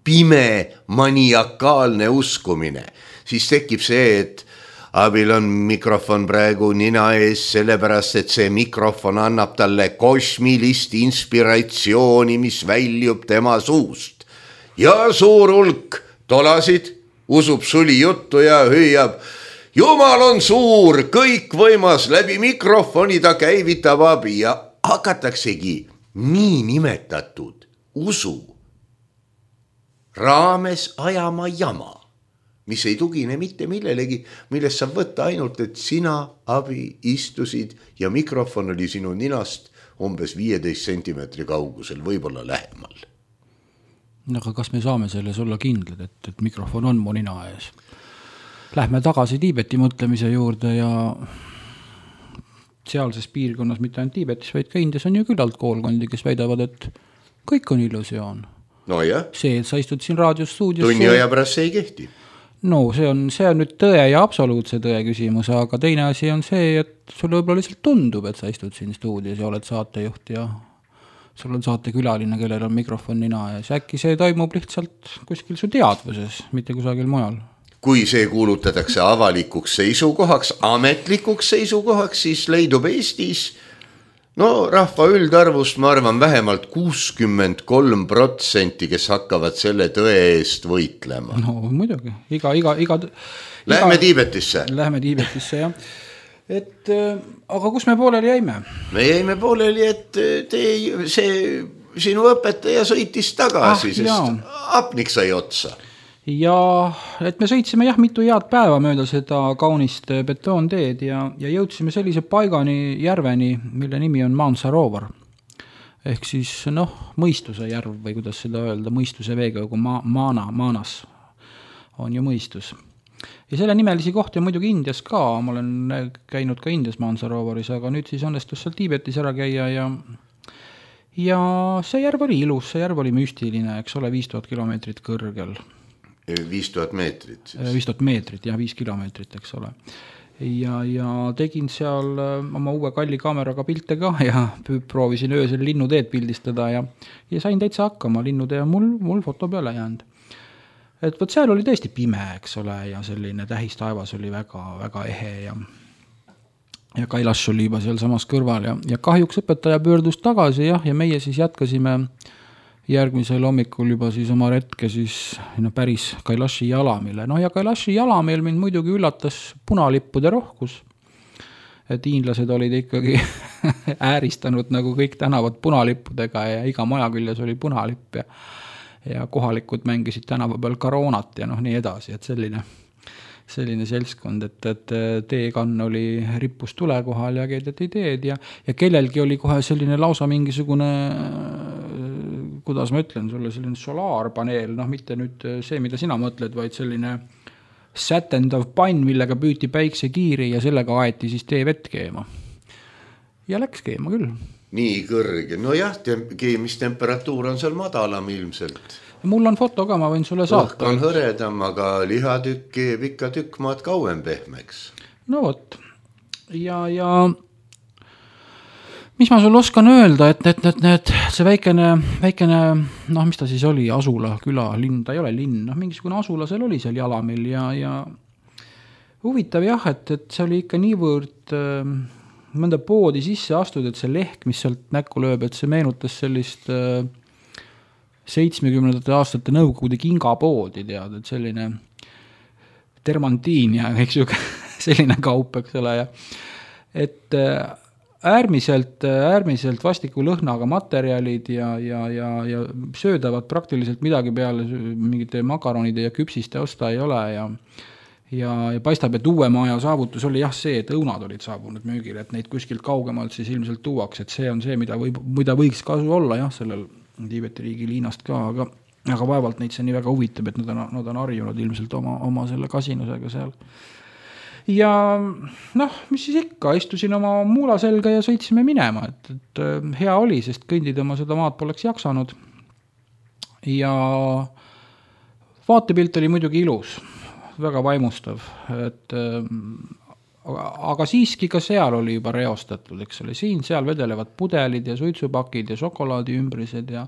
pime, maniakaalne uskumine. Siis tekib see, et abil on mikrofon praegu nina ees, sellepärast, et see mikrofon annab talle kosmilist inspiratsiooni, mis väljub tema suust. Ja suur hulk tolasid usub suli juttu ja hüüab, Jumal on suur, kõik võimas, läbi mikrofoni ta käivitab abi ja hakataksegi nii nimetatud usu raames ajama jama, mis ei tugine mitte millelegi, millest saab võtta ainult, et sina abi istusid ja mikrofon oli sinu ninast umbes viieteist sentimeetri kaugusel, võib-olla lähemal. Aga kas me saame selles olla kindlad, et, et mikrofon on mu nina ees? Lähme tagasi Tiibeti mõtlemise juurde ja sealses piirkonnas, mitte ainult Tiibetis, vaid ka Indias on ju küllalt koolkondi, kes väidavad, et kõik on illusioon. No jah. See, et sa istud siin raadiostuudios. Tunni aja pärast see ei kehti. No see on, see on nüüd tõe ja absoluutse tõe küsimus, aga teine asi on see, et sulle võib-olla lihtsalt tundub, et sa istud siin stuudios ja oled saatejuht ja sul on saatekülaline, kellel on mikrofon nina ees. Äkki see toimub lihtsalt kuskil su teadvuses, mitte kusagil mujal. Kui see kuulutatakse avalikuks seisukohaks, ametlikuks seisukohaks, siis leidub Eestis no rahva üldarvust, ma arvan, vähemalt kuuskümmend kolm protsenti, kes hakkavad selle tõe eest võitlema. No muidugi, iga, iga, iga... Lähme iga, Tiibetisse. Lähme Tiibetisse, jah. Et, aga kus me pooleli jäime? Me jäime pooleli, et te, see, sinu õpetaja sõitis tagasi, ah, sest jah. Apnik sai otsa. Ja et me sõitsime jah mitu head päeva mööda seda kaunist betoonteed ja, ja jõudsime sellise paigani järveni, mille nimi on Mansarovar. Ehk siis noh, mõistuse järv või kuidas seda öelda, mõistuse veega, kui ma, maana, maanas on ju mõistus. Ja selle nimelisi kohti on muidugi Indias ka, ma olen käinud ka Indias Mansarovaris, aga nüüd siis õnnestus seal Tiibetis ära käia ja ja see järv oli ilus, see järv oli müstiline, eks ole, viis tuhat kilomeetrit kõrgel. viis tuhat meetrit. viis tuhat meetrit, jah, viis kilomeetrit, eks ole. Ja, ja tegin seal oma uue kalli kaameraga pilte ka ja proovisin öösel linnuteed pildistada ja, ja sain täitsa hakkama, linnutee on mul, mul foto peale jäänud. Et võt seal oli tõesti pime, eks ole, ja selline tähistaevas oli väga, väga ehe ja, ja Kailash oli juba seal samas kõrval ja, ja kahjuks õpetaja pöördus tagasi jah, ja meie siis jätkasime järgmisel hommikul juba siis oma retke siis no, päris Kailashi jalamile. No ja Kailashi jalamil mind muidugi üllatas punalippude rohkus. Et hiinlased olid ikkagi ääristanud nagu kõik tänavad punalippudega ja iga maja küljes oli punalipp ja, ja kohalikud mängisid tänava peal karoonat ja noh nii edasi, et selline, selline seltskond, et, et teekann oli rippus tule kohal ja keedeti teed ja, ja kellelgi oli kohe selline lausa mingisugune kuidas ma ütlen sulle, selline solaarpaneel, noh mitte nüüd see, mida sina mõtled, vaid selline sätendav pann, millega püüti päiksekiiri ja sellega aeti siis tee vett keema. Ja läks keema küll. Nii kõrge, no jah, keemistemperatuur on seal madalam ilmselt. Mul on foto ka, ma võin sulle saata. Õhk on hõredam, aga lihatükk keeb ikka tükk maad kauem pehmeks. No vot, ja, ja mis ma sulle oskan öelda, et, et, et, et see väikene, väikene, noh, mis ta siis oli, asula, küla, linn, ta ei ole linn, noh, mingisugune asula seal oli seal Jalamil ja, ja huvitav jah, et, et see oli ikka niivõrd äh, mõnda poodi sisse astud, et see lehk, mis sealt näkku lööb, et see meenutas sellist äh, seitsmekümnendate aastate Nõukogude kingapoodi, tead, et selline termantiin ja eks ju selline kaup, eks ole, ja et äh, äärmiselt, äärmiselt vastiku lõhnaga materjalid ja, ja, ja, ja söödavad praktiliselt midagi peale mingite makaronide ja küpsiste osta ei ole ja, ja, ja paistab, et uue maja saavutus oli jah see, et õunad olid saabunud müügile, et neid kuskilt kaugemalt siis ilmselt tuuaks, et see on see, mida, võib, mida võiks kasu olla jah, sellel Tiibeti riigi liinast ka, aga, aga vaevalt neid see nii väga huvitab, et nad on, nad on harjunud ilmselt oma, oma selle kasinusega seal. Ja noh, mis siis ikka, istusin oma muula selga ja sõitsime minema, et, et hea oli, sest kõndida ma seda maad poleks jaksanud. Ja vaatepilt oli muidugi ilus, väga vaimustav, et aga siiski ka seal oli juba reostatud, eks ole, siin seal vedelevad pudelid ja suitsupakid ja šokolaadi ümbrised ja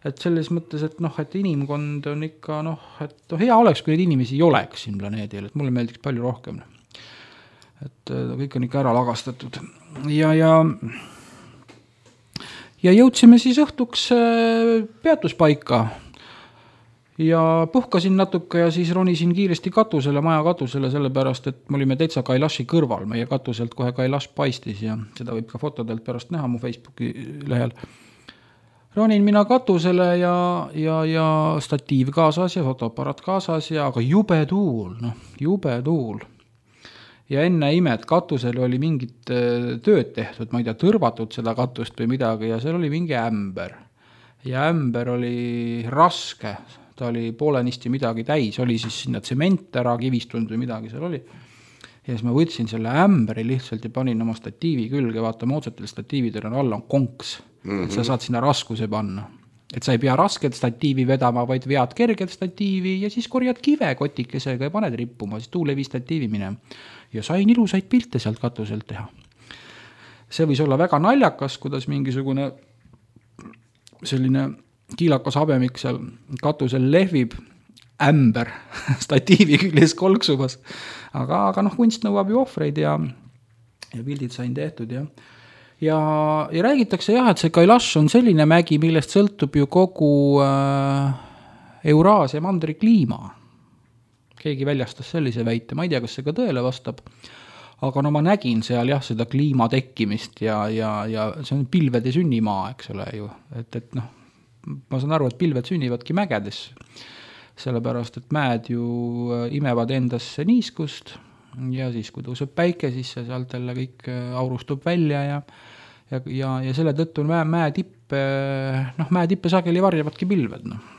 et selles mõttes, et noh, et inimkond on ikka noh, et no, hea oleks, kui neid inimesi ei oleks siin planeedil, et mulle meeldiks palju rohkem. Et kõik on ikka ära lagastatud ja, ja ja jõudsime siis õhtuks peatuspaika ja puhkasin natuke ja siis ronisin kiiresti katusele, maja katusele, sellepärast, et me olime täitsa Kailashi kõrval, meie katuselt kohe Kailash paistis ja seda võib ka fotodelt pärast näha mu Facebooki lehel. Ronin mina katusele ja, ja, ja statiiv kaasas ja fotoapparat kaasas ja aga jube tuul, noh, jube tuul. Ja enne imed katusel oli mingit tööd tehtud, ma ei tea, tõrvatud seda katust või midagi ja seal oli mingi ämber. Ja ämber oli raske, ta oli poolenisti midagi täis, oli siis sinna tsement ära kivistunud või midagi seal oli. Ja siis ma võtsin selle ämbri lihtsalt ja panin oma statiivi külge, vaata moodsatel statiividel on alla on konks, mm-hmm. et sa saad sinna raskuse panna. Et sa ei pea rasket statiivi vedama, vaid vead kerget statiivi ja siis korjad kive kotikesega ja paned rippuma, siis tuulevi statiivi minema. Ja sain ilusaid pilte sealt katuselt teha. See võis olla väga naljakas, kuidas mingisugune selline kiilakas habemik seal katusel lehvib, ämber statiivi küljes kolksumas. Aga, aga noh, kunst nõuab ju ohvreid ja, ja pildid sain tehtud ja Ja, ja räägitakse jah, et see Kailash on selline mägi, millest sõltub ju kogu äh, Euraasia mandri kliima. Keegi väljastas sellise väite, ma ei tea, kas see ka tõele vastab, aga no ma nägin seal jah, seda kliima tekkimist ja, ja, ja see on pilvede sünnimaa, eks ole ju, et, et noh, ma saan aru, et pilved sünnivadki mägedes, sellepärast, et mäed ju imevad endasse niiskust ja siis, kui tõuseb päike, siis see sealt jälle kõik aurustub välja ja, ja, ja, ja selle tõttu mäe, mäe tippe, noh, mäe tippe sageli varjavadki pilved, noh.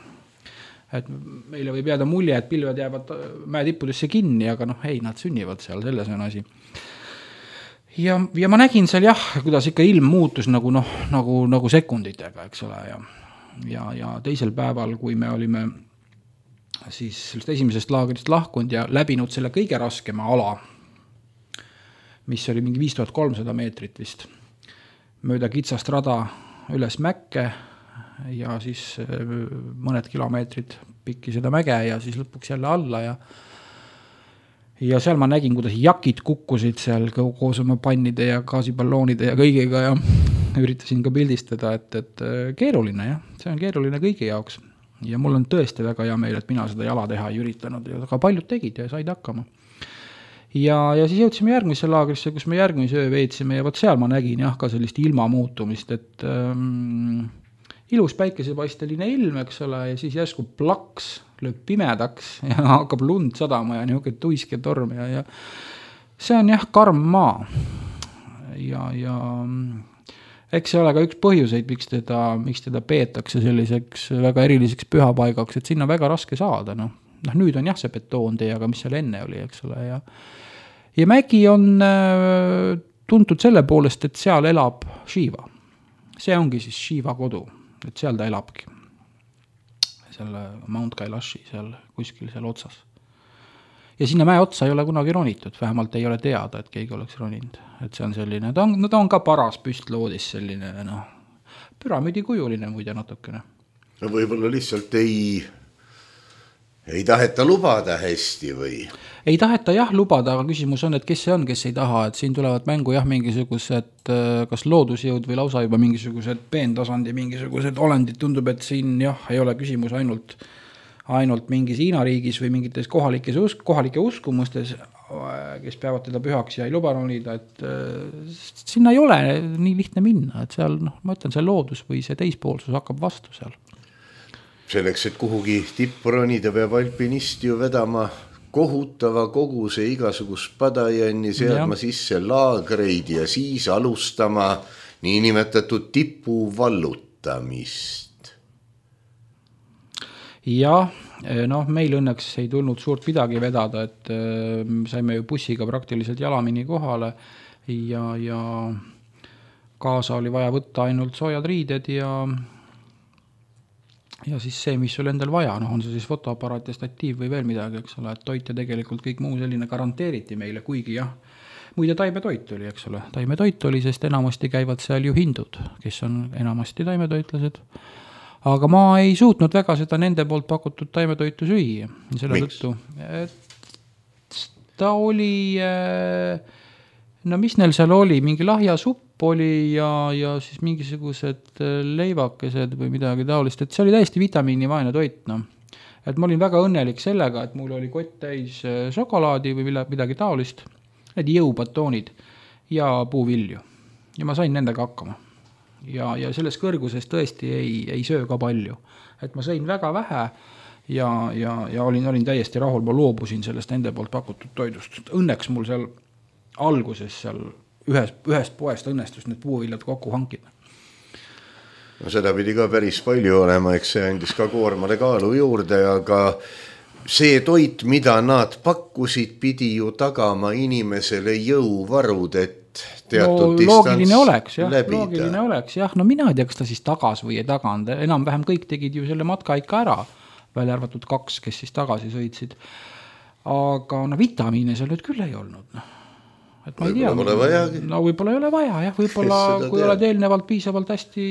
Et meile võib jääda mulje, et pilved jäävad mäe tippudesse kinni, aga noh, ei, nad sünnivad seal, selles on asi. Ja, ja ma nägin seal jah, kuidas ikka ilm muutus nagu, noh, nagu, nagu sekunditega, eks ole, ja, ja, ja teisel päeval, kui me olime siis sellest esimesest laagrist lahkunud ja läbinud selle kõige raskema ala, mis oli mingi viis tuhat kolmsada meetrit vist, mööda kitsast rada üles mäkke ja siis mõned kilomeetrid pikki seda mäge ja siis lõpuks jälle alla ja ja seal ma nägin, kuidas jakid kukkusid seal koos oma pannide ja gaasipalloonide ja kõigiga ja üritasin ka pildistada, et, et keeruline jah, see on keeruline kõigi jaoks. Ja mul on tõesti väga hea meil, et mina seda jala teha ei üritanud, aga paljud tegid ja said hakkama. Ja, ja siis jõudsime järgmisse laagrisse, kus me järgmise öö veetsime ja võt seal ma nägin jah ka sellist ilma muutumist, et ähm, ilus päikesepaisteline ilm, eks ole, ja siis järsku plaks lööb pimedaks ja hakkab lund sadama ja niisugune tuiske torm ja, ja see on jah karm maa ja, ja eks see ole ka üks põhjuseid, miks teda, miks teda peetakse selliseks väga eriliseks pühapaigaks, et sinna väga raske saada, noh. Noh, nüüd on jah see betoontee, aga mis seal enne oli, eks ole, ja ja Mägi on äh, tuntud selle poolest, et seal elab Shiva. See ongi siis Shiva kodu, et seal ta elabki. Selle Mount Kailashi seal kuskil seal otsas. Ja sinna mäe otsa ei ole kunagi ronitud, vähemalt ei ole teada, et keegi oleks roninud. Et see on selline, ta on, ta on ka paras püstloodis selline, noh, püramidi kujuline muide natukene. No võib-olla lihtsalt ei... Ei taheta lubada hästi või? Ei taheta jah lubada, aga küsimus on, et kes see on, kes ei taha, et siin tulevad mängu jah mingisugused kas loodusjõud või lausa juba mingisugused peentasandi mingisugused olendid, tundub, et siin jah ei ole küsimus ainult, ainult mingis Hiina riigis või mingites kohalikes usk, kohalike uskumustes, kes peavad teda pühaks ja ei luba ronida, et sinna ei ole nii lihtne minna, et seal, noh, ma ütlen, see loodus või see teispoolsus hakkab vastu seal. Selleks, et kuhugi tippu ronida, peab alpinist ju vedama kohutava koguse igasugust padajänni, seadma sisse laagreid ja siis alustama niinimetatud tipu vallutamist. Jah, noh, meil õnneks ei tulnud suurt midagi vedada, et saime ju bussiga praktiliselt jalamini kohale ja, ja kaasa oli vaja võtta ainult soojad riided ja ja siis see, mis sul endal vaja, noh on see siis fotoaparaat ja statiiv või veel midagi, eks ole, et toit ja tegelikult kõik muu selline garanteeriti meile, kuigi jah, muide taimetoit oli, eks ole, taimetoit oli, sest enamasti käivad seal ju hindud, kes on enamasti taimetoitlased, aga ma ei suutnud väga seda nende poolt pakutud taimetoitu süüa, selle tõttu, et ta oli, no mis neil seal oli, mingi lahjasupp oli ja, ja siis mingisugused leivakesed või midagi taolist, et see oli täiesti vitamiinivaene toit, noh. Et ma olin väga õnnelik sellega, et mul oli kott täis šokolaadi või midagi taolist, need jõubatoonid ja puuvilju. Ja ma sain nendega hakkama. Ja, ja selles kõrguses tõesti ei, ei söö ka palju. Et ma sõin väga vähe ja, ja, ja olin, olin täiesti rahul, ma loobusin sellest nende poolt pakutud toidust. Õnneks mul seal alguses seal Ühest, ühest poest õnnestus need puuviljad kokku hankida. No seda pidi ka päris palju olema, eks see andis ka koormale kaalu juurde, aga see toit, mida nad pakkusid, pidi ju tagama inimesele jõuvarud, et teatud no, distants loogiline oleks, jah, läbida. Loogiline oleks, jah, no mina ei tea, kas ta siis tagas või ei taganud, enam-vähem kõik tegid ju selle matka ikka ära, välja arvatud kaks, kes siis tagasi sõitsid. Aga no vitamiine seal nüüd küll ei olnud, noh. Et ma ei tea, no võib-olla ei ole vaja, jah, võib-olla kui oled eelnevalt piisavalt hästi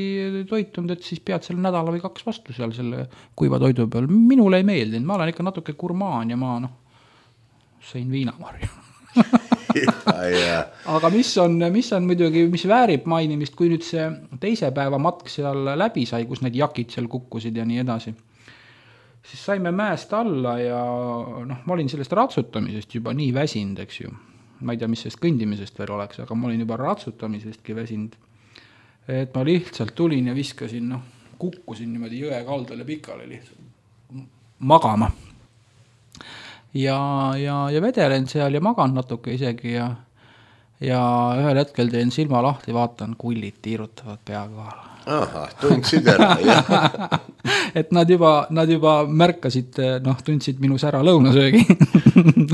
toitunud, et siis pead selle nädala või kaks vastu seal selle kuiva toidu peal. Minule ei meeldinud, ma olen ikka natuke gurmaan ja ma noh, sõin viinamarju. Aga mis on, mis on muidugi, mis väärib mainimist, kui nüüd see teise päeva matk seal läbi sai, kus need jakid seal kukkusid ja nii edasi, siis saime mäest alla ja noh, ma olin sellest ratsutamisest juba nii väsinud, eks ju. Ma ei tea, mis sellest kõndimisest veel oleks, aga ma olin juba ratsutamisestki väsinud. Et ma lihtsalt tulin ja viskasin, noh, kukkusin niimoodi jõe kaldale pikale lihtsalt magama. Ja, ja, ja vedelen seal ja magan natuke isegi ja, ja ühel hetkel teen silma lahti, vaatan, kullid tiirutavad pea kohal. Aha, tundsid ära, jah. Et nad juba, nad juba märkasid, noh, tundsid minu sära lõunasöögi.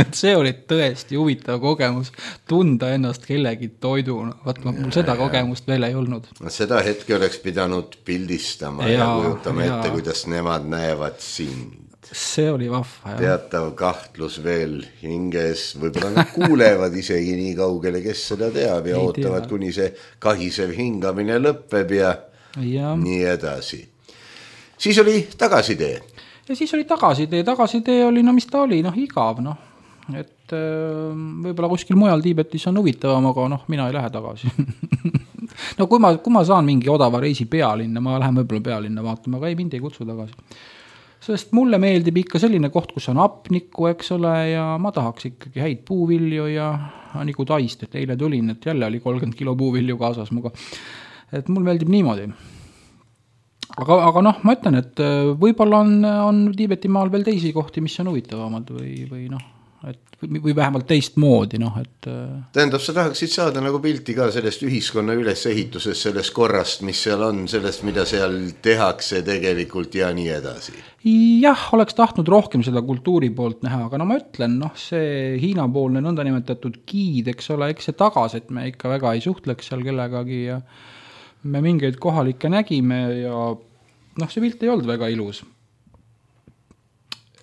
Et see oli tõesti huvitav kogemus, tunda ennast kellegi toiduna. Vaat mul seda kogemust veel ei olnud. Seda hetke oleks pidanud pildistama ja, ja kujutama ja. Ette, kuidas nemad näevad sind. See oli vahva, jah. Teatav kahtlus veel hinges, võib-olla nad kuulevad isegi nii kaugele, kes seda teab ja ei ootavad, tea. Kuni see kahisev hingamine lõppeb ja, ja nii edasi. Siis oli tagasitee. Ja siis oli tagasitee. Tagasitee oli, no mis ta oli, noh igav, noh. Et võib-olla kuskil mujal Tiibetis on huvitavam, aga noh, mina ei lähe tagasi. No kui ma, kui ma saan mingi odava reisi pealinna, ma lähen võib-olla pealinna vaatama, aga ei, mind ei kutsu tagasi. Sest mulle meeldib ikka selline koht, kus on apnikku, eks ole, ja ma tahaks ikkagi häid puuvilju ja nagu taist, et eile tulin, et jälle oli kolmkümmend kilo puuvilju kaasas muga. Et mul meeldib niimoodi. Aga, aga noh, ma ütlen, et võib-olla on, on Tiibeti maal veel teisi kohti, mis on huvitavamad või, või noh, et või vähemalt teistmoodi, noh, et tähendab, sa tahaksid saada nagu pilti ka sellest ühiskonna ülesehitusest, sellest korrast, mis seal on, sellest, mida seal tehakse tegelikult ja nii edasi. Jah, oleks tahtnud rohkem seda kultuuri poolt näha, aga no ma ütlen, noh, see Hiina-poolne nõndanimetatud giid, eks ole, eks see tagas, et me ikka väga ei suhtleks seal kellegagi ja me mingeid kohalikke nägime ja noh, see pilt ei olnud väga ilus.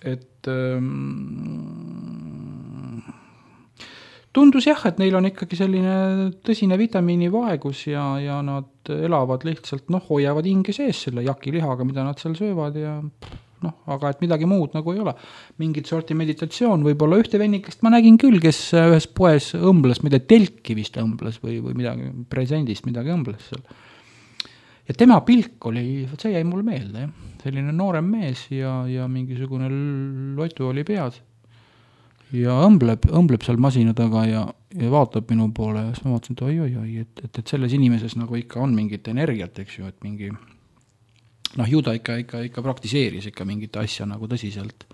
Et ähm, tundus jah, et neil on ikkagi selline tõsine vitamiinivaegus ja, ja nad elavad lihtsalt, noh, hoiavad hinge sees selle jakilihaga, mida nad seal söövad ja noh, aga et midagi muud nagu ei ole. Mingit sorti meditatsioon, võib-olla ühte vennikest ma nägin küll, kes ühes poes õmbles, mida telki vist õmbles või, või midagi presendist midagi õmbles seal. Ja tema pilk oli, see jäi mul meelde, jah. Selline noorem mees ja, ja mingisugune lotu oli peas. Ja õmbleb, õmbleb seal masina taga ja, ja vaatab minu poole ja siis ma vaatasin, et oi, oi, oi, et, et, et selles inimeses nagu ikka on mingit energiat, eks ju, et mingi, noh, ju ta ikka, ikka, ikka praktiseeris ikka mingit asja nagu tõsiselt.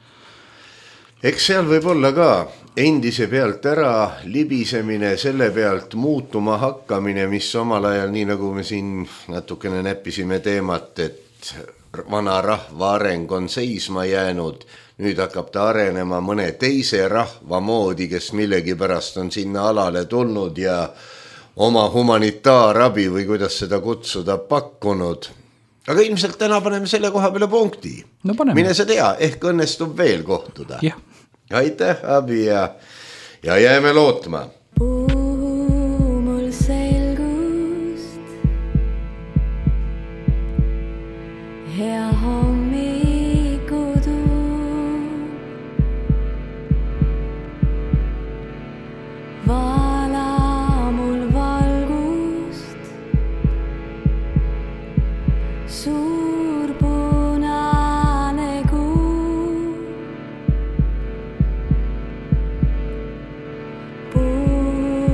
Eks seal võib olla ka endise pealt ära libisemine, selle pealt muutuma hakkamine, mis omal ajal, nii nagu me siin natukene näppisime teemat, et vana rahva areng on seisma jäänud, nüüd hakkab ta arenema mõne teise rahva moodi, kes millegi pärast on sinna alale tulnud ja oma humanitaarabi või kuidas seda kutsuda pakkunud. Aga ilmselt täna paneme selle koha peale punkti. No paneme. Mine sa tea, ehk õnnestub veel kohtuda. Jah. Aitäh, Abi, ja, ja jääme lootma. Puhu mul selgust, hea hommikudu. Vala mul valgust, suur punane kuu. Puhu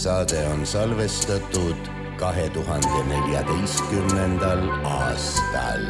saade on salvestatud kahe tuhande neljateistkümnendal aastal.